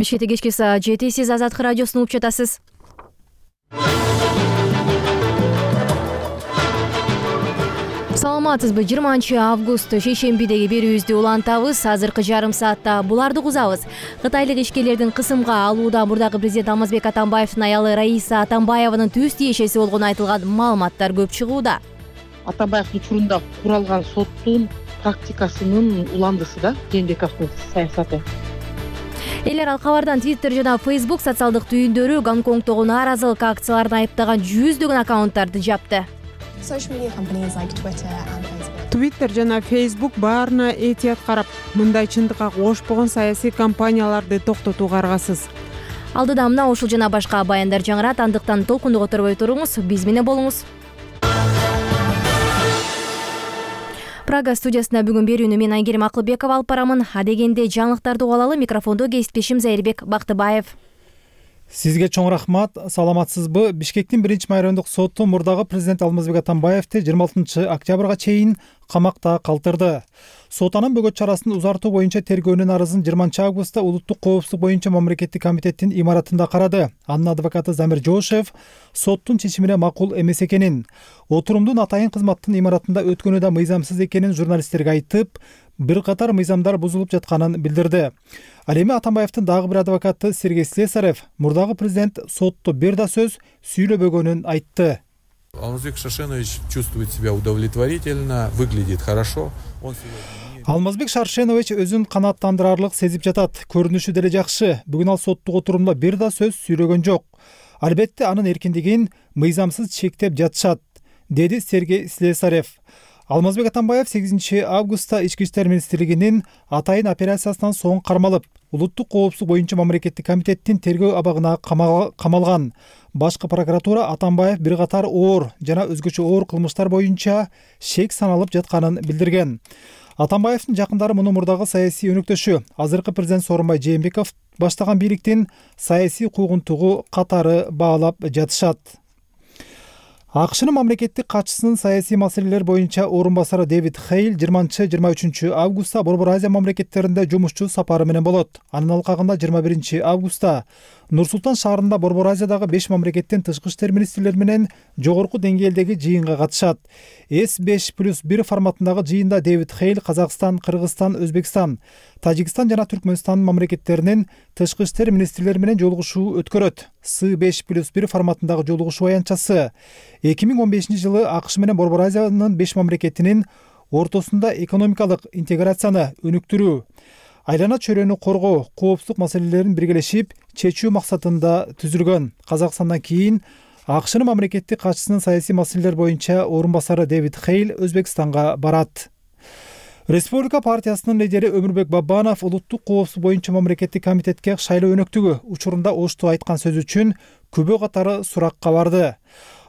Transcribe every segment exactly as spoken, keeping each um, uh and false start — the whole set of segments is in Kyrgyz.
Бишкекте кечки саат жети, сиз Азаттык радиосун угуп жатасыз. Саламатсызбы? жыйырманчы август шейшембидеги берүүбүздү улантабыз. Азыркы жарым саатта буларды угузабыз. Кытайлык ишкерлердин кысымга алуудан мурдагы президент Алмазбек Атамбаевдин аялы Раиса Атамбаеванын түз тиешеси болгону айтылган маалыматтар көп чыгууда. Атамбаев учурунда куралган соттун практикасынын уландысы да Жээнбековдун саясаты. Эл аралык кабардан Twitter жана Facebook социалдык түйүндөрү Гонконгдогу нааразылык акцияларын айыптаган жүздөгөн аккаунттарды жапты. Twitter жана Facebook баарына этият карап, мындай чындыкка кошпогон саясий компанияларды токтотууга аргасыз. Алдыда мына ушул жана башка баяндар жаңырат, андыктан толкунду которбой туруңуз, биз менен болуңуз. Прага студиясында бүгүн берүүнү мен Айгерим Акылбекова алып барамын. Адегенде жаңылыктарды угуп алалы, микрофондо кесиптешим Зайырбек Бактыбаев. Сизге чоң рахмат. Саламатсызбы? Бишкектин биринчи майрандык соту мурдагы президент Алмазбек Атамбаевди жыйырма алтынчы октябрга чейин камакта калтырды. Сот анын бөгөт чарасын узартуу боюнча тергөөнүн арызын жыйырманчы августта Улуттук коопсуздук боюнча мамлекеттик комитеттин имаратында карады. Анын адвокаты Замир Жошев соттун чечимине макул эмес экенин, отурумдун атайын кызматтын имаратында өткөнү да мыйзамсыз экенин журналисттерге айтып, бир катар мыйзамдар бузулуп жатканын билдирди. Ал эми Атамбаевдин дагы бир адвокаты Сергей Слесарев мурдагы президент сотто бир да сөз сүйлөбөгөнүн айтты. Алмазбек Шаршенович чувствует себя удовлетворительно, выглядит хорошо. Алмазбек Шаршенович өзүн канааттандырарлык сезип жатат. Көрүнүшү деле жакшы. Бүгүн ал соттук отурумда бир да сөз сүйлөгөн жок. Албетте анын эркиндигин мыйзамсыз чектеп жатышат, деди Сергей Слесарев. Алмазбек Атамбаев сегизинчи августта Ички иштер министрлигинин атайын операциясынан соң кармалып, Улуттук коопсуздук боюнча мамлекеттик комитеттин тергөө абагына камалган. Башкы прокуратура Атамбаев бир катар оор жана өзгөчө оор кылмыштар боюнча шек саналып жатканын билдирген. Атамбаевдин жакындары муну мурдагы саясий өнөктөшү, азыркы президент Сооронбай Жээнбеков баштаган бийликтин саясий куугунтугу катары баалап жатышат. АКШнын мамлекеттик катчысынын саясий маселелер боюнча орун басары Дэвид Хейл жыйырманчы жыйырма үчүнчү августта Борбор Азия мамлекеттеринде жумушчу сапары менен болот. Анын алкагында жыйырма биринчи августта Нур-Султан шаарында Борбор Азиядагы беш мамлекеттин тышкы иштер министрлери менен жогорку деңгээлдеги жыйынга катышат. эс беш плюс бир форматындагы жыйында Дэвид Хейл Казакстан, Кыргызстан, Өзбекстан, Тажикстан жана Түркмөнстан мамлекеттеринин тышкы иштер министрлери менен жолугушуу өткөрөт. эс беш плюс бир форматындагы жолугушуу аянтчасы эки миң он бешинчи жылы АКШ менен Борбор Азиянын беш мамлекетинин ортосунда экономикалык интеграцияны өнүктүрүү, айлана чөйрөнү коргоо, коопсуздук маселелерин биргелешип чечүү максатында түзүлгөн. Казакстандан кийин АКШнын мамлекеттик катчысынын саясий маселелер боюнча орун басары Дэвид Хейл Өзбекстанга барат. Республика партиясынын лидери Өмүрбек Бабанов Улуттук коопсуздук боюнча мамлекеттик комитетке шайлоо өнөктүгү учурунда Ошту айткан сөзү үчүн күбө катары суракка барды.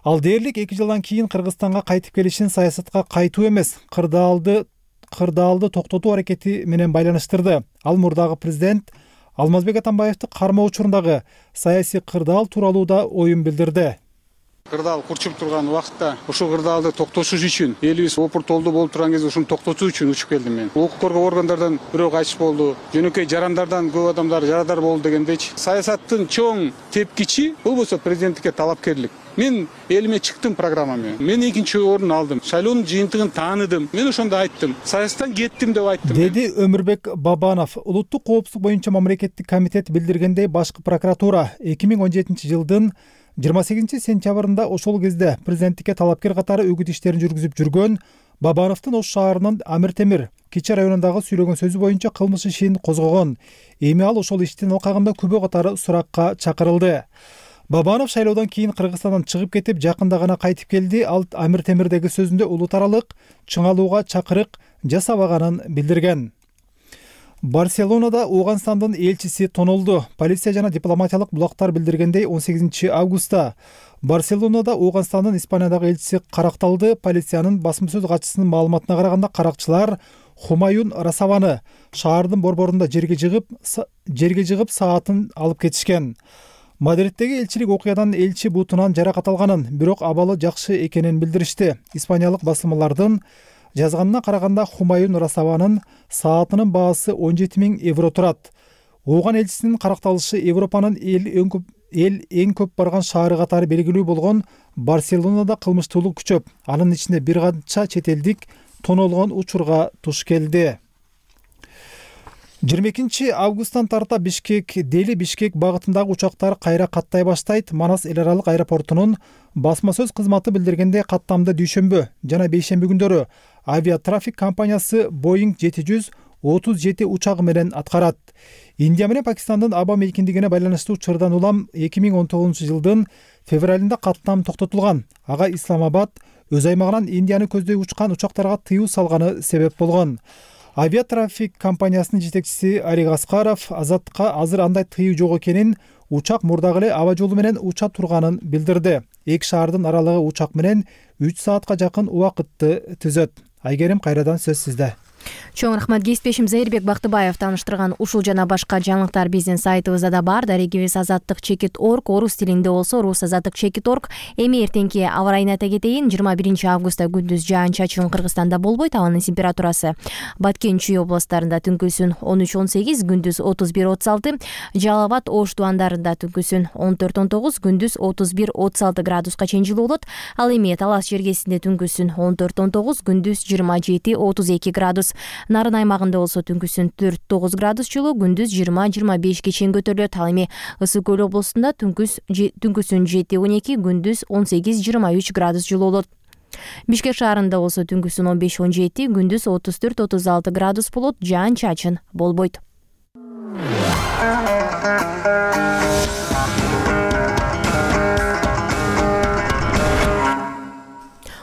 Ал дээрлик эки жылдан кийин Кыргызстанга кайтып келишин саясатка кайтуу эмес, кырдаалды кырдаалды токтотуу аракети менен байланыштырды. Ал мурдагы президент Алмазбек Атамбаевди кармоо учурундагы саясий кырдаал тууралуу да оюн билдирди. Кырдаал курчуп турган убакытта ушул кырдаалды токтотуш үчүн, элибиз опуртолду болуп турган кезде ушуну токтотуу үчүн учуп келдим мен. Укук коргоо органдардан бирөө кайтыш болду, жөнөкөй жарандардан көп адамдар жарадар болду дегендейчи. Саясаттын чоң тепкичи бул болсо президенттикке талапкерлик. Мен элиме чыктым программа менен. Мен экинчи орун алдым. Шайлоонун жыйынтыгын тааныдым. Мен ошондо айттым. Саясаттан кеттим деп айттым. Деди Өмүрбек Бабанов. Улуттук коопсуздук боюнча мамлекеттик комитет билдиргендей, башкы прокуратура эки миң он жетинчи жылдын жыйырма сегизинчи сентябрында ошол кезде президенттикке талапкер катары үгүт иштерин жүргүзүп жүргөн Бабановдун Ош шаарынын Амир Темир Кичи районундагы сүйлөгөн сөзү боюнча кылмыш ишин козгогон. Эми ал ошол иштин алкагында күбө катары суракка чакырылды. Бабанов шайлоодон кийин Кыргызстандан чыгып кетип, жакында гана кайтып келди. Ал Амир Темирдеги сөзүндө улут аралык чыңалууга чакырык жасабаганын билдирген. Барселонада Ооганстандын элчиси тонолду. Полиция жана дипломатиялык булактар билдиргендей, он сегизинчи августта Барселонада Ооганстандын Испаниядагы элчиси каракталды. Полициянын басма сөз катчысынын маалыматына караганда, каракчылар Хумаюн Расаваны шаардын борборунда жерге жыгып, жерге жыгып саатын алып кетишкен. Мадридтеги элчилик окуядан элчи бутунан жаракат алганын, бирок абалы жакшы экенин билдиришти. Испаниялык басылмалардын жазганына караганда, Хумаюн Расаванын саатынын баасы он жети миң евро турат. Ооган элчисинин каракталышы Европанын эл эң көп эл эң көп барган шаары катары белгилүү болгон Барселонада кылмыштуулук күчөп, анын ичинде бир канча чет элдик тоноолгон учурга туш келди. жыйырма экинчи августтан тарта Бишкек, Дели Бишкек багытындагы учактар кайра каттай баштайт. Манас эл аралык аэропортунун басма сөз кызматы билдиргенде каттамда дүйшөмбү жана бейшемби күндөрү авиатрафик компаниясы Boeing жети жүз отуз жети учагы менен аткарат. Индия менен Пакистандын аба мейкиндигине байланыштуу учурдан улам эки миң он тогузунчу жылдын февралында каттам токтотулган. Ага Исламабад өз аймагынан Индияны көздөй учкан учактарга тыюу салганы себеп болгон. Авиатрафик компаниясынын жетекчиси Арик Аскаров Азатка азыр андай тыюу жок экенин, учак мурдагы эле аба жолу менен уча турганын билдирди. Эки шаардын аралыгы учак менен үч саатка жакын убакытты түзөт. Айгерим, кайрадан сөз сизде. Чоң рахмат. Кесиптешим Зайырбек Бактыбаев тааныштырган ушул жана башка жаңылыктар биздин сайтыбызда да бар. Дарегибиз азаттык чекит точка орг, орус тилинде болсо рус азаттык чекит точка орг. Эми эртеңки аба райына айта кетейин. жыйырма биринчи августта күндүз жаан-чачын Кыргызстанда болбойт. Абанын температурасы Баткен, Чүй областтарында түнкүсүн он үч он сегиз, күндүз отуз бир отуз алты, Жалал Абад, Ош тубандарында түнкүсүн он төрт он тогуз, күндүз отуз бир отуз алты градуска чейин жылуу болот. Ал эми Талас жергесинде түнкүсүн он төрт он тогуз, күндүз жыйырма жети отуз эки градус. Нарын аймагында болсо түнкүсүн төрт тогуз градус жылуу, күндүз жыйырма жыйырма бешке чейин көтөрүлөт. Ал эми Ысык көл облусунда түнкүс түнкүсүн жети он эки, күндүз он сегиз жыйырма үч градус жылуу болот. Бишкек шаарында болсо түнкүсүн он беш он жети, күндүз отуз төрт отуз алты градус болот. Жаан-чачын болбойт.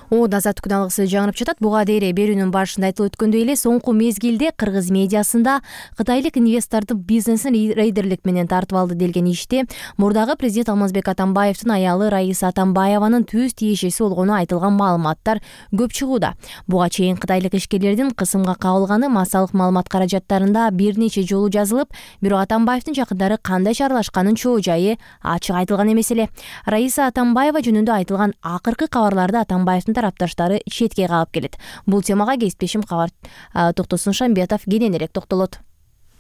О азаттык күналыгысы жаңырып жатат. Буга дейре берүүнүн башында айтылып өткөндөй эле соңку мезгилде кыргыз медиасында кытайлык инвесторду бизнесин рейдерлик менен тартып алды делген иште мурдагы президент Алмазбек Атамбаевдин аялы Раиса Атамбаеванын түз тиешеси болгону айтылган маалыматтар көп чыгууда. Буга чейин кытайлык ишкерлердин кысымга кабылганы массалык маалымат каражаттарында бир нече жолу жазылып, бирок Атамбаевдин жакындары кандай чаралашканын чоо жайы ачык айтылган эмес эле. Раиса Атамбаева жөнүндө айтылган акыркы кабарларды Атамбаевдин тарапташтары четке калып келет. Бул темага кесиптешим кабар Токтосун Шамбетов кененирээк токтолот.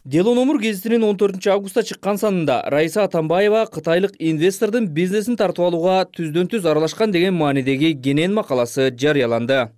Дело номер гезитинин он төртүнчү августта чыккан санында Раиса Атамбаева кытайлык инвестордун бизнесин тартып алууга түздөн түз аралашкан деген маанидеги кенен макаласы жарыяланды.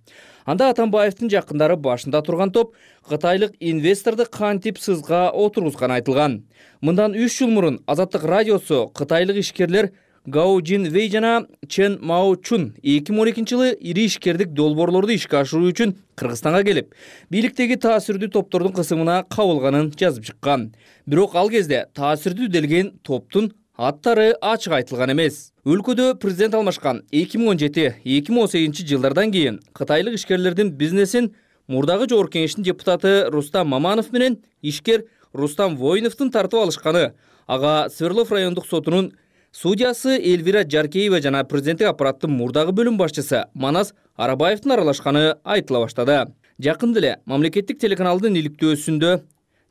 Анда Атамбаевдин жакындары башында турган топ кытайлык инвесторду кантип сызга отургузганы айтылган. Мындан үч жыл мурун Азаттык радиосу кытайлык ишкерлер Гао Жин Вэй жана Чен Мао Чун эки миң он экинчи жылы ири ишкердик долбоорлорду ишке ашыруу үчүн Кыргызстанга келип, бийликтеги таасирдүү топтордун кысымына кабылганын жазып чыккан. Бирок ал кезде таасирдүү делген топтун аттары ачык айтылган эмес. Өлкөдө президент алмашкан эки миң он жети эки миң он сегизинчи жылдардан кийин кытайлык ишкерлердин бизнесин мурдагы жогорку кеңештин депутаты Рустам Маманов менен ишкер Рустам Воиновдун тартып алышканы, ага Свердлов райондук сотунун судьясы Эльвира Жаркеева жана президенттик аппараттын мурдагы бөлүм башчысы Манас Арабаевдин аралашканы айтыла баштады. Жакында эле мамлекеттик телеканалдын иликтөөсүндө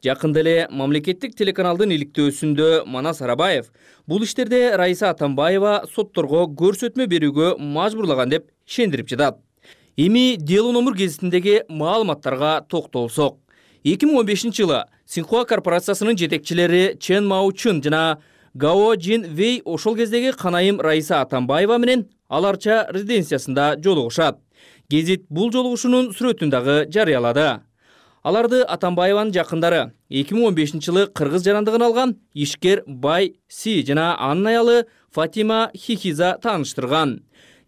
Жакында эле мамлекеттик телеканалдын иликтөөсүндө Манас Арабаев бул иштерде Раиса Атамбаева сотторго көрсөтмө берүүгө мажбурлаган деп ишендирип жатат. Эми Дело номер гезитиндеги маалыматтарга токтолсок. эки миң он бешинчи жылы Синхуа корпорациясынын жетекчилери Чен Мао Чун жана Гао Жин Вэй ошол кездеги канайым Раиса Атамбаева менен аларча резиденциясында жолугушат. Гезит бул жолугушуунун сүрөтүн дагы жарыялады. Аларды Атамбаеванын жакындары эки миң он бешинчи жылы кыргыз жарандыгын алган ишкер Бай Си жана анын аялы Фатима Хихиза тааныштырган.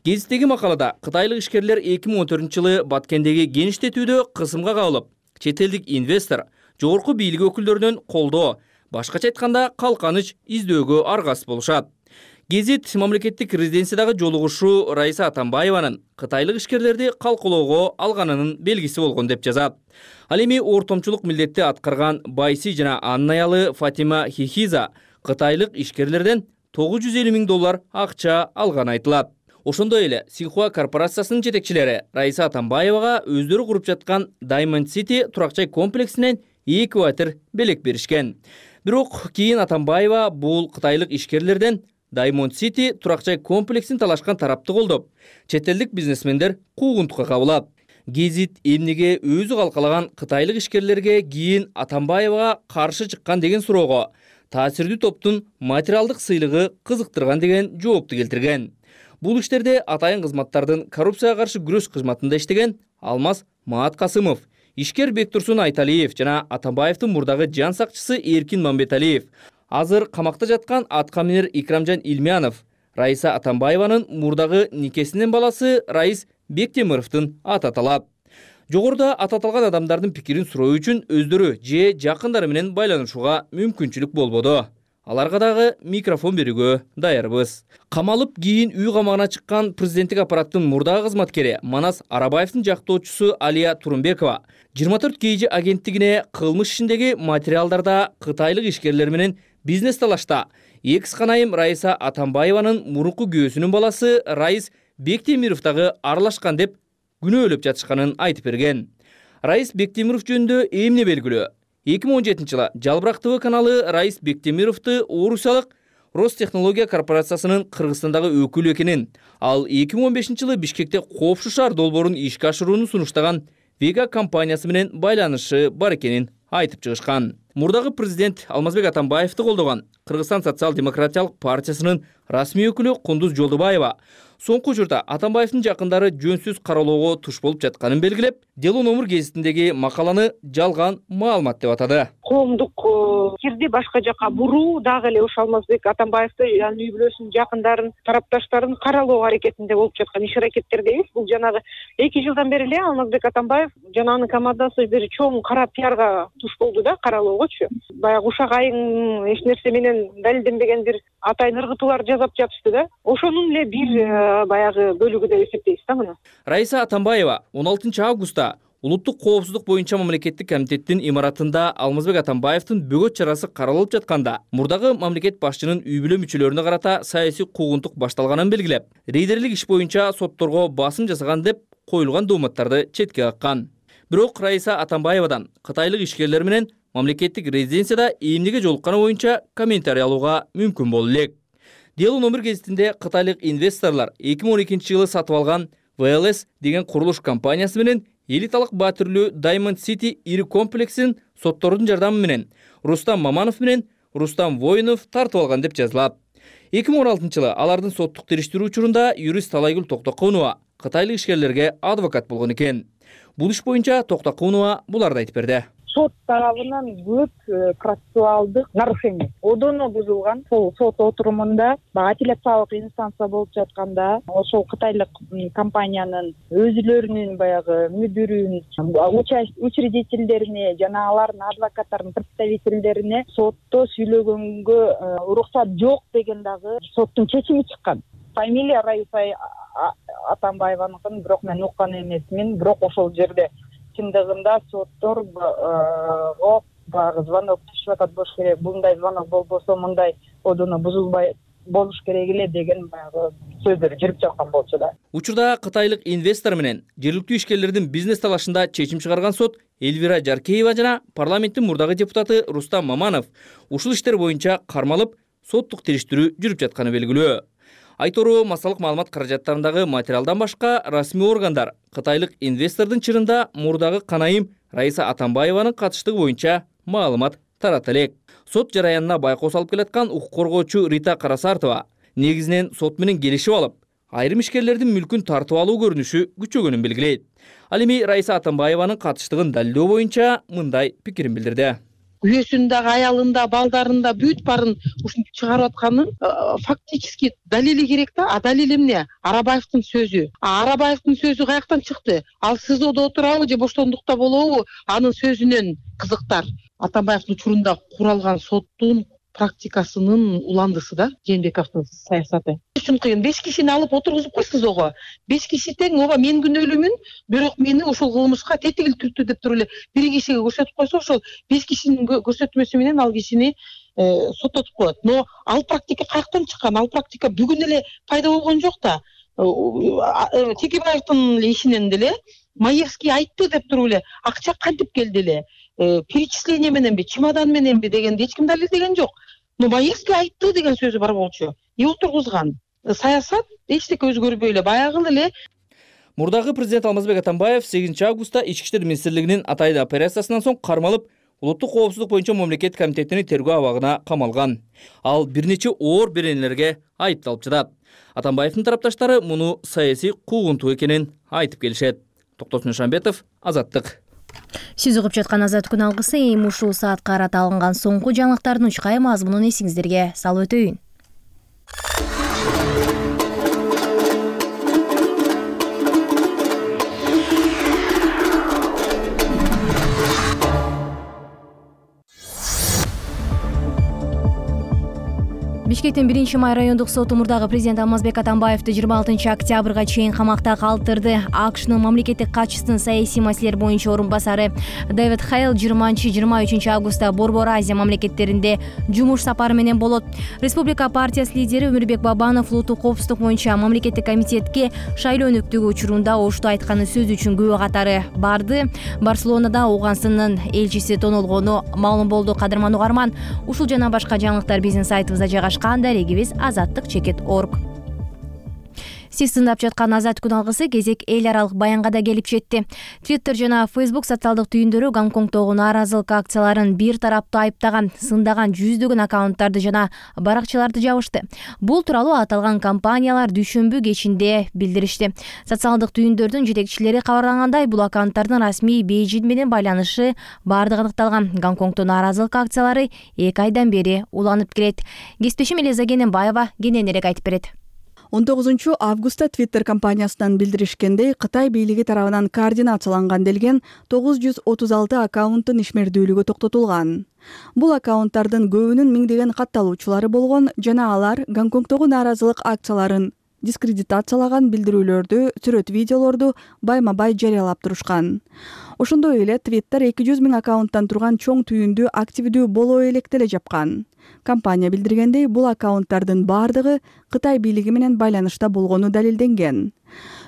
Гезиттеги макалада кытайлык ишкерлер эки миң он төртүнчү жылы Баткендеги кеңиштетүүдө кысымга кабылып, чет элдик инвестор жогорку бийлик өкүлдөрүнөн колдоо, башкача айтканда калканыч издөөгө аргасыз болушат. Гезит мамлекеттик резиденциядагы жолугушуу Раиса Атамбаеванын кытайлык ишкерлерди калкалоого алганынын белгиси болгон деп жазат. Ал эми ортомчулук милдетти аткарган Байси жана анын аялы Фатима Хихиза кытайлык ишкерлерден тогуз жүз элүү миң доллар акча алганы айтылат. Ошондой эле Синхуа корпорациясынын жетекчилери Раиса Атамбаевага өздөрү куруп жаткан Diamond City турак-жай комплексинен эки батир белек беришкен. Бирок кийин Атамбаева бул кытайлык ишкерлерден Diamond City турак-жай комплексин талашкан тарапты колдоп, чет элдик бизнесмендер куугунтукка кабылат. Гезит эмнеге өзү калкалаган кытайлык ишкерлерге кийин Атамбаевага каршы чыккан деген суроого таасирдүү топтун материалдык сыйлыгы кызыктырган деген жоопту келтирген. Бул иштерде атайын кызматтардын коррупцияга каршы күрөш кызматында иштеген Алмаз Мааткасымов, ишкер Бектурсун Айталиев жана Атамбаевдин мурдагы жан сакчысы Эркин Мамбеталиев, азыр камакта жаткан аткаминер Икрамжан Илмянов, Раиса Атамбаеванын мурдагы никесинин баласы Раис Бектемировдун аты аталат. Жогоруда аты аталган адамдардын пикирин суроо үчүн өздөрү же жакындары менен байланышууга мүмкүнчүлүк болбоду. Аларга дагы микрофон берүүгө даярбыз. Камалып кийин үй камагына чыккан президенттик аппараттын мурдагы кызматкери Манас Арабаевдин жактоочусу Алия Турумбекова жыйырма төрт кей жи агенттигине кылмыш ишиндеги материалдарда кытайлык ишкерлер менен бизнес талашта экс канайым Раиса Атамбаеванын мурунку күйөөсүнүн баласы Раис Бектемиров дагы аралашкан деп күнөөлөп жатышканын айтып берген. Раис Бектемиров жөнүндө эмне белгилүү? эки миң он жетинчи жылы Жалбырак ТВ каналы Раис Бектемировду Орусиялык Ростехнология корпорациясынын Кыргызстандагы өкүлү экенин, ал эки миң он бешинчи жылы Бишкекте Коопшу шаар долбоорун ишке ашырууну сунуштаган Вега компаниясы менен байланышы бар экенин айтып чыгышкан. Мурдагы президент Алмазбек Атамбаевди колдогон Кыргызстан социал-демократиялык партиясынын расмий өкүлү Кундуз Жолдубаева соңку учурда Атамбаевдин жакындары жөнсүз каралоого туш болуп жатканын белгилеп, Дело номер гезитиндеги макаланы жалган маалымат деп атады. Коомдук кирди башка жака буруу дагы эле ошо Алмазбек Атамбаевди анын үй бүлөсүнүн жакындарын, тарапташтарын каралоо аракетинде болуп жаткан иш аракеттерде эмес. Бул жанагы эки жылдан бери эле Алмазбек Атамбаев жана анын командасы бир чоң кара пиарга туш болду да, каралоогочу. Баягы ушак айың эч нерсе менен далилденбеген бир атайын ыргытуулар жасап жатышты да. Ошонун эле бир баягы бөлүгү деп эсептейбиз да муну. Раиса Атамбаева он алтынчы августта Улуттук коопсуздук боюнча мамлекеттик комитеттин имаратында Алмазбек Атамбаевдин бөгөт чарасы каралып жатканда, мурдагы мамлекет башчынын үй бүлө мүчөлөрүнө карата саясий куугунтук башталганын белгилеп, рейдерлик иш боюнча сотторго басым жасаган деп коюлган дооматтарды четке каккан. Бирок Раиса Атамбаевадан кытайлык ишкерлер менен мамлекеттик резиденцияда эмнеге жолукканы боюнча комментарий алууга мүмкүн болду элек. Дело номер гезитинде кытайлык инвесторлор эки миң он экинчи жылы сатып алган вэ эл эс деген курулуш компаниясы менен элиталык баа түрлүү Diamond City ири комплексин соттордун жардамы менен Рустам Маманов менен Рустам Воинов тартып алган деп жазылат. эки миң он алтынчы жылы алардын соттук териштирүү учурунда юрист Талайгүл Токтоконова кытайлык ишкерлерге адвокат болгон экен. Бул иш боюнча Токтоконова буларды айтып берди. Сот тарабынан көп процессуалдык нарушение одоно бузулган. Сол сот отурумунда апелляциялык инстанция болуп жатканда ошол кытайлык компаниянын өзүлөрүнүн баягы мүдүрүн, учредительдерине жана алардын адвокаттарынын представительдерине сотто сүйлөгөнгө уруксат жок деген дагы соттун чечими чыккан. Фамилия Раиса Атамбаеваныкын бирок мен уккан эмесмин, бирок ошол жерде чындыгында сотторго баягы звонок түшүп атат болуш керек. Мындай звонок болбосо мындай одоно бузулбай болуш керек эле деген баягы сөздөр жүрүп жаткан болчу да. Учурда кытайлык инвестор менен жергиликтүү ишкерлердин бизнес талашында чечим чыгарган сот Эльвира Жаркеева жана парламенттин мурдагы депутаты Рустам Маманов ушул иштер боюнча кармалып соттук териштирүү жүрүп жатканы белгилүү. Айтору массалык маалымат каражаттарындагы материалдан башка расмий органдар кытайлык инвестордун чырында мурдагы канайым Раиса Атамбаеванын катыштыгы боюнча маалымат тарата элек. Сот жараянына байкоо салып келаткан укук коргоочу Рита Карасартова негизинен сот менен келишип алып, айрым ишкерлердин мүлкүн тартып алуу көрүнүшү күчөгөнүн белгилейт. Ал эми Раиса Атамбаеванын катыштыгын далилдөө боюнча мындай пикирин билдирди. Күйөөсүндө, аялында, балдарында бүт барын ушинтип чыгарып атканын фактически далили керек да. А далил эмне? Арабаевдин сөзү. А Арабаевдин сөзү каяктан чыкты? Ал СИЗОдо отурабы же боштондукта болобу? Анын сөзүнөн кызыктар. Атамбаевдин учурунда куралган соттун практикасынын уландысы да Жээнбековдун саясаты. Үчүн кыйын. беш кишини алып отургузуп кой СИЗОго. беш киши тең, ооба мен күнөөлүүмүн, бирок мени ушул кылмышка тетигил түрттү деп туруп эле бир кишиге көрсөтүп койсо, ошол беш кишинин көрсөтмөсү менен ал кишини соттотуп коет. Но ал практика каяктан чыккан? Ал практика бүгүн эле пайда болгон жок да. Текебаевдин ишинен деле Маевский айтты деп туруп эле акча кантип келди эле? Перечисление мененби, чемодан мененби дегенди эч ким далилдеген жок. Но Маевский айтты деген сөзү бар болчу. И отургузган. Саясат эчтеке өзгөрбөй эле баягы эле. Мурдагы президент Алмазбек Атамбаев сегизинчи августта Ички иштер министрлигинин атайын операциясынан соң кармалып улуттук коопсуздук боюнча мамлекет комитетинин тергөө абагына камалган. Ал бир нече оор беренелерге айыпталып жатат. Атамбаевдин тарапташтары муну саясий куугунтуу экенин айтып келишет. Токтосун Шамбетов, Азаттык. Сиз угуп жаткан Азат күн алгысы эми ушул саатка карата алынган соңку жаңылыктардын учкай мазмунун эсиңиздерге салып өтөйүн. Бишкектин биринчи май райондук соту мурдагы президент Алмазбек Атамбаевди жыйырма алтынчы октябрга чейин камакта калтырды. АКШнын мамлекеттик катчысын саясий маселелер боюнча орун басары Дэвид Хейл жыйырманчы жыйырма үчүнчү августта Борбор Азия мамлекеттеринде жумуш сапары менен болот. Республика партиясы лидери Өмүрбек Бабанов улуттук коопсуздук боюнча мамлекеттик комитетке шайлоо өнүктүгү учурунда ошто айтканы сөз үчүн күбө катары барды. Барселонада Ооганстандын элчиси тонулгону маалым болду. Кадырман угарман, ушул жана башка жаңылыктар биздин сайтыбызда жайгашкан. Дарегибиз азаттык чекит орг. Сиз тыңдап жаткан Азат күн алгысы кезек эл аралык баянга да келип жетти. Twitter жана Facebook социалдык түйүндөрү Гонконгдогу нааразылык акцияларын бир тараптуу айыптаган, сындаган жүздөгөн аккаунттарды жана баракчаларды жабышты. Бул тууралуу аталган компаниялар дүйшөмбү кечинде билдиришти. Социалдык түйүндөрдүн жетекчилери кабарлагандай, бул аккаунттардын расмий Бейжиң менен байланышы бардыгы аныкталган. Гонконгдо нааразылык акциялары эки айдан бери уланып келет. Кесиптешим Элиза Кененбаева кененирээк айтып берет. он тогузунчу августта Twitter компаниясынан билдиришкендей, Кытай бийлиги тарабынан координацияланган делген тогуз жүз отуз алты аккаунттун ишмердүүлүгү токтотулган. Бул аккаунттардын көбүнүн миңдеген катталуучулары болгон жана алар Гонконгдогу нааразылык акцияларын дискредитациялаган билдирүүлөрдү, сүрөт видеолорду байма-бай жарыялап турушкан. Ошондой эле Twitter эки жүз миң аккаунттан турган чоң түйүндү активдүү боло электе эле жапкан. Компания билдиргендей, бул аккаунттардын бардыгы Кытай бийлиги менен байланышта болгону далилденген.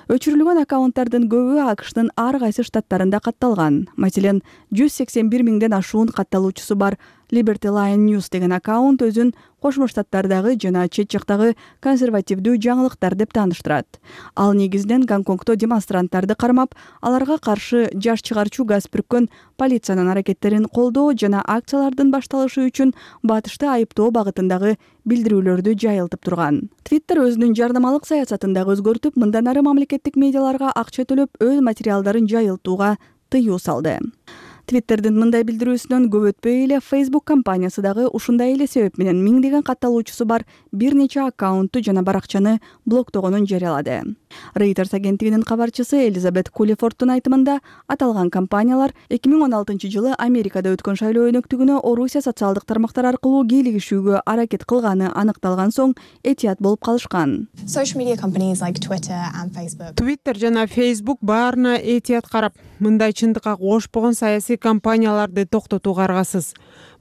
Өчүрүлгөн аккаунттардын көбү АКШнын ар кайсы штаттарында катталган. Маселен, жүз сексен бир миңден ашуун катталуучусу бар Liberty Line News деген аккаунт өзүн Кошмо Штаттардагы жана чет жактагы консервативдүү жаңылыктар деп тааныштырат. Ал негизинен Гонконгдо демонстранттарды кармап, аларга каршы жаш чыгарчу газ бүрккөн полициянын аракеттерин колдоо жана акциялардын башталышы үчүн батышты айыптоо багытындагы билдирүүлөрдү жайылтып турган. Twitter өзүнүн жардамалык саясатын дагы өзгөртүп, мындан ары мамлекеттик медиаларга акча төлөп өз материалдарын жайылтууга тыюу салды. Twitter'дин мындай билдирүүсүнөн көп өтпөй эле Facebook компаниясы дагы ушундай эле себеп менен миңдеген катталуучусу бар бир нече аккаунтту жана баракчаны блоктогонун жарыялады. Reuters агенттигинин кабарчысы Элизабет Кулифордтун айтымында, аталган компаниялар эки миң он алтынчы жылы Америкада өткөн шайлоо өнөктүгүнө Орусия социалдык тармактар аркылуу кийлигишүүгө аракет кылганы аныкталган соң этият болуп калышкан. Twitter жана Facebook баарына этият карап, мындай чындыкка кошпогон саясий компанияларды токтотууга аргасыз.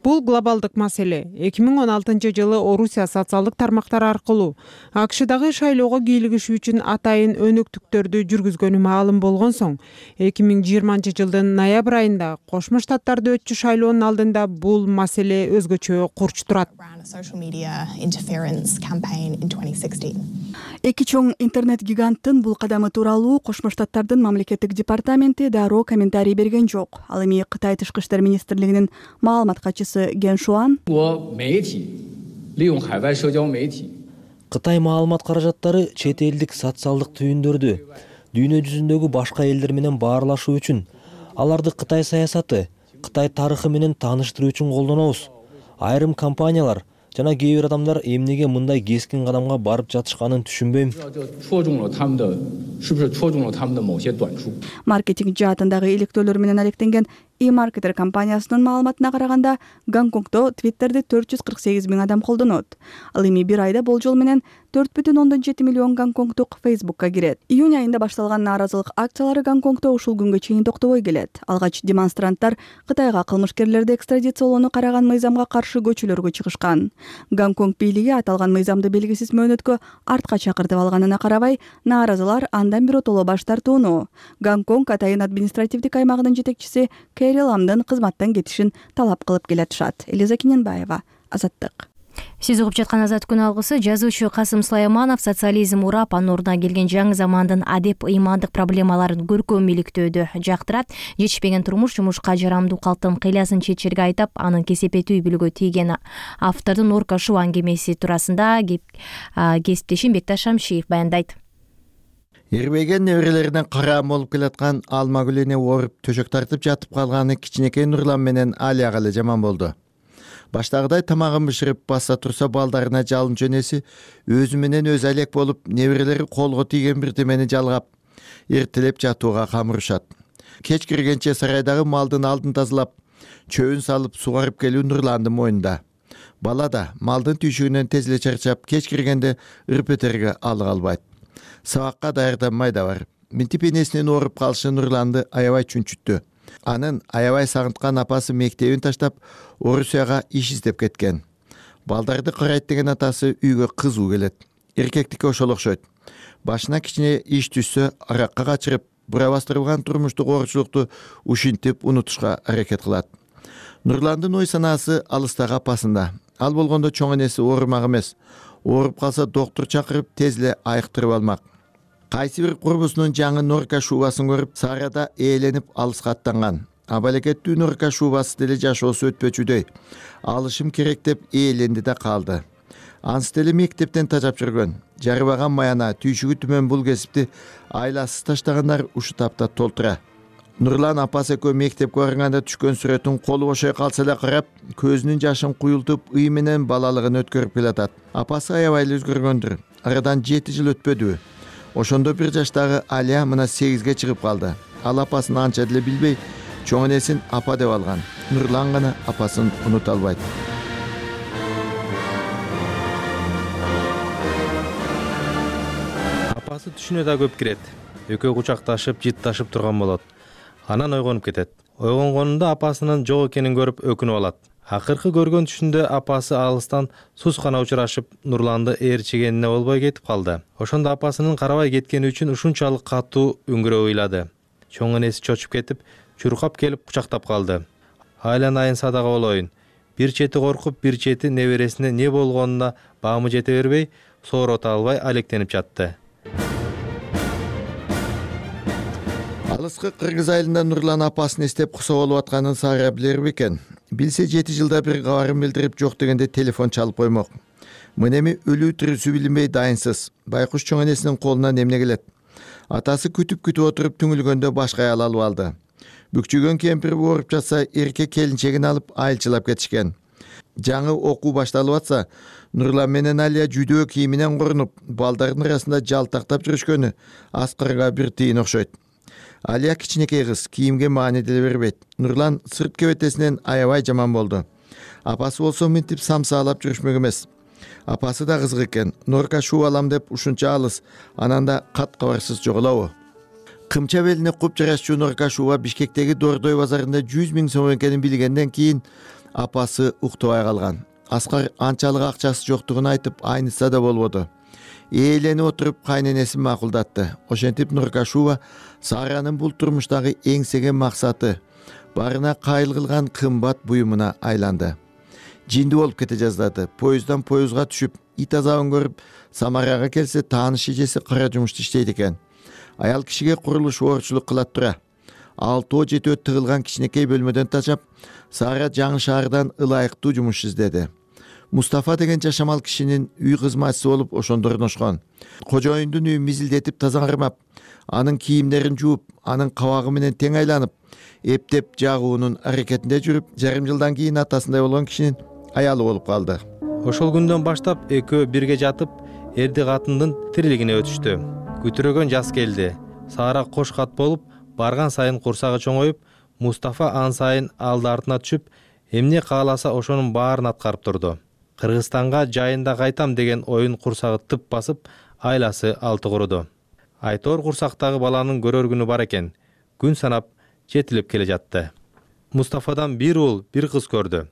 Бул глобалдык маселе. эки миң он алтынчы жылы Орусия социалдык тармактар аркылуу АКШдагы шайлоого кийлигишүү үчүн атайын өнөктүктөрдү жүргүзгөнү маалым болгон соң, эки миң жыйырманчы жылдын ноябрь айында Кошмо Штаттарда өтчү шайлоонун алдында бул маселе өзгөчө курч турат. Эки чоң интернет гиганттын бул кадамы тууралуу Кошмо Штаттардын мамлекеттик департаменти дароо комментарий берген жок. Ал эми Кытай тышкы иштер министрлигинин маалымат катчысы Ген Шуан Кытай маалымат каражаттары чет элдик социалдык түйүндөрдү дүйнө жүзүндөгү башка элдер менен баарлашуу үчүн, аларды Кытай саясаты, Кытай тарыхы менен тааныштыруу үчүн колдонобуз. Айрым компаниялар жана кээ бир адамдар эмнеге мындай кескин кадамга барып жатышканын түшүнбөйм. Маркетинг жаатындагы иликтөөлөр менен алектенген e-marketer компаниясынын маалыматына караганда, Гонконгдо Twitter'ди төрт жүз кырк сегиз миң адам колдонот. Ал эми бир айда болжол менен төрт бүтүн ондон жети миллион гонконгдук Facebook'ка кирет. Июнь айында башталган нааразылык акциялары Гонконгдо ушул күнгө чейин токтобой келет. Алгач демонстранттар Кытайга кылмышкерлерди экстрадициялоону караган мыйзамга каршы көчөлөргө чыгышкан. Гонконг бийлиги аталган мыйзамды белгисиз мөөнөткө артка чакыртып алганына карабай, нааразылар андан биротоло баш тартууну. Гонконг Атайын административдик аймагынын жетекчиси Кэрри Ламдын кызматтан кетишин талап кылып келатышат. Элиза Кененбаева, Азаттык. Сиз угуп жаткан Азат күн алгысы. Жазуучу Касым Сулайманов социализм урап, анын ордуна келген жаңы замандын адеп ыймандык проблемаларын көркөм иликтөөдө жактырат. Жетишпеген турмуш жумушка жарамдуу калктын кыйлясын чечерге айтап, анын кесепети үй бүлөгө тийген. Автордун Орка Шуу аңгемеси туурасында кесиптешим Бекташ Шамшиев баяндайт. Эрбеген неберелеринен караам болуп келаткан алма гүлүнө ооруп төшөк тартып жатып калганы кичинекей Нурлан менен Алияга эле жаман болду. Баштагыдай тамагын бышырып баса турса балдарына жалынчу энеси өзү менен өзү алек болуп, неберелери колго тийген бирдемени жалгап, эртелеп жатууга камырышат. Кеч киргенче сарайдагы малдын алдын тазалап, чөбүн салып сугарып келүү Нурландын мойнунда. Бала да малдын түйшүгүнөн тез эле чарчап, кеч киргенде ырпетерге алык албайт. Сабакка даярданмай да бар. Минтип энесинин ооруп калышы Нурланды аябай чүнчүттү. Анын аябай сагынткан апасы мектебин таштап, Орусияга иш издеп кеткен. Балдарды карайт деген атасы үйгө кызуу келет. Эркектикке ошол окшойт. Башына кичине иш түшсө, аракка качырып, бура бастырылган турмуштук оорчулукту ушинтип унутушка аракет кылат. Нурландын ой санаасы алыстагы апасында. Ал болгондо чоң энеси оорумак эмес. Ооруп калса доктор чакырып, тез эле айыктырып алмак. Кайсы бир курбусунун жаңы норка шубасын көрүп, Сарада ээленип алыска аттанган. Абалекеттүү норка шубасы деле жашоосу өтпөчүдөй. Алышым керек деп ээленди да калды. Ансы деле мектептен тажап жүргөн. Жарыбаган маяна, түйшүгү түмөн бул кесипти айласыз таштагандар ушу тапта толтура. Нурлан апасы экөө мектепке барганда түшкөн сүрөтүн колу бошой калса эле карап, көзүнүн жашын куюлтуп, ый менен балалыгын өткөрүп келатат. Апасы аябай эле өзгөргөндүр. Арадан жети жыл өтпөдүбү. Ошондо бир жаштагы Алия мына сегизге чыгып калды. Ал апасын анча деле билбей, чоң энесин апа деп алган. Нурлан гана апасын унута албайт. Апасы түшүнө да көп кирет. Экөө кучакташып, жытташып турган болот. Анан ойгонуп кетет. Ойгонгонунда апасынын жок экенин көрүп өкүнүп алат. Акыркы көргөн түшүндө апасы алыстан сускана учурашып, Нурланды ээрчигенине болбой кетип калды. Ошондо апасынын карабай кеткени үчүн ушунчалык катуу үңгүрөп ыйлады. Чоң энеси чочуп кетип, чуркап келип кучактап калды. Айланайын садага болоюн. Бир чети коркуп, бир чети небересине не болгонуна баамы жете бербей, соорота албай алектенип жатты. Алыскы Кыргыз айылында Нурлан апасын эстеп кусо болуп атканын Сара билер бекен. Билсе жети жылда бир кабарын билдирип жок дегенде телефон чалып коймок. Мынеми өлүү тирүүсү билинбей дайынсыз. Байкуш чоң энесинин колунан эмне келет? Атасы күтүп-күтүп отуруп түңүлгөндө башка аял алып алды. Бүкчүгөн кемпир ооруп жатса, эркек келинчегин алып айылчылап кетишкен. Жаңы окуу башталып атса, Нурлан менен Алия жүдөө кийиминен корунуп, балдардын арасында жалтактап жүрүшкөнү Аскарга бир тыйын окшойт. Алия кичинекей кыз, кийимге маани деле бербейт. Нурлан сырт кебетесинен аябай жаман болду. Апасы болсо минтип самсаалап жүрүшмөк эмес. Апасы да кызык экен. Норка шуу алам деп ушунча алыс, анан да кат кабарсыз жоголобу. Кымча белине куп жарашчу Норка шууга Бишкектеги Дордой базарында жүз миң сом экенин билгенден кийин апасы уктабай калган. Аскар анчалык акчасы жоктугун айтып, айнытса да болбоду. Ээленип отуруп кайненесин макулдатты. Ошентип Норка шууга Саранын бул турмуштагы эңсеген максаты, барына кайыл кылган кымбат буюмуна айланды. Жинди болуп кете жаздады. Поезддан поездга түшүп, ит азабын көрүп, Самарага келсе тааныш эжеси кара жумушту иштейт экен. Аял кишиге курулуш оорчулук кылат тура. Алтоо жетөө тыгылган кичинекей бөлмөдөн тачап, Сара жаңы шаардан ылайыктуу жумуш издеди. Мустафа деген жашамал кишинин үй кызматчысы болуп ошондо орношкон. Кожоюндун үйүн мизилдетип таза кармап, анын кийимдерин жууп, анын кабагы менен тең айланып, эптеп жагуунун аракетинде жүрүп, жарым жылдан кийин атасындай болгон кишинин аялы болуп калды. Ошол күндөн баштап экөө бирге жатып, эрди катындын тирилигине өтүштү. Күтүрөгөн жаз келди. Сара кош кат болуп, барган сайын курсагы чоңоюп, Мустафа ан сайын алды артына түшүп, эмне кааласа ошонун баарын аткарып турду. Кыргызстанга жайында кайтам деген оюн курсагы тып басып, айласы алты куруду. Айтор курсактагы баланын көрөр күнү бар экен. Күн санап жетилип келе жатты. Мустафадан бир уул, бир кыз көрдү.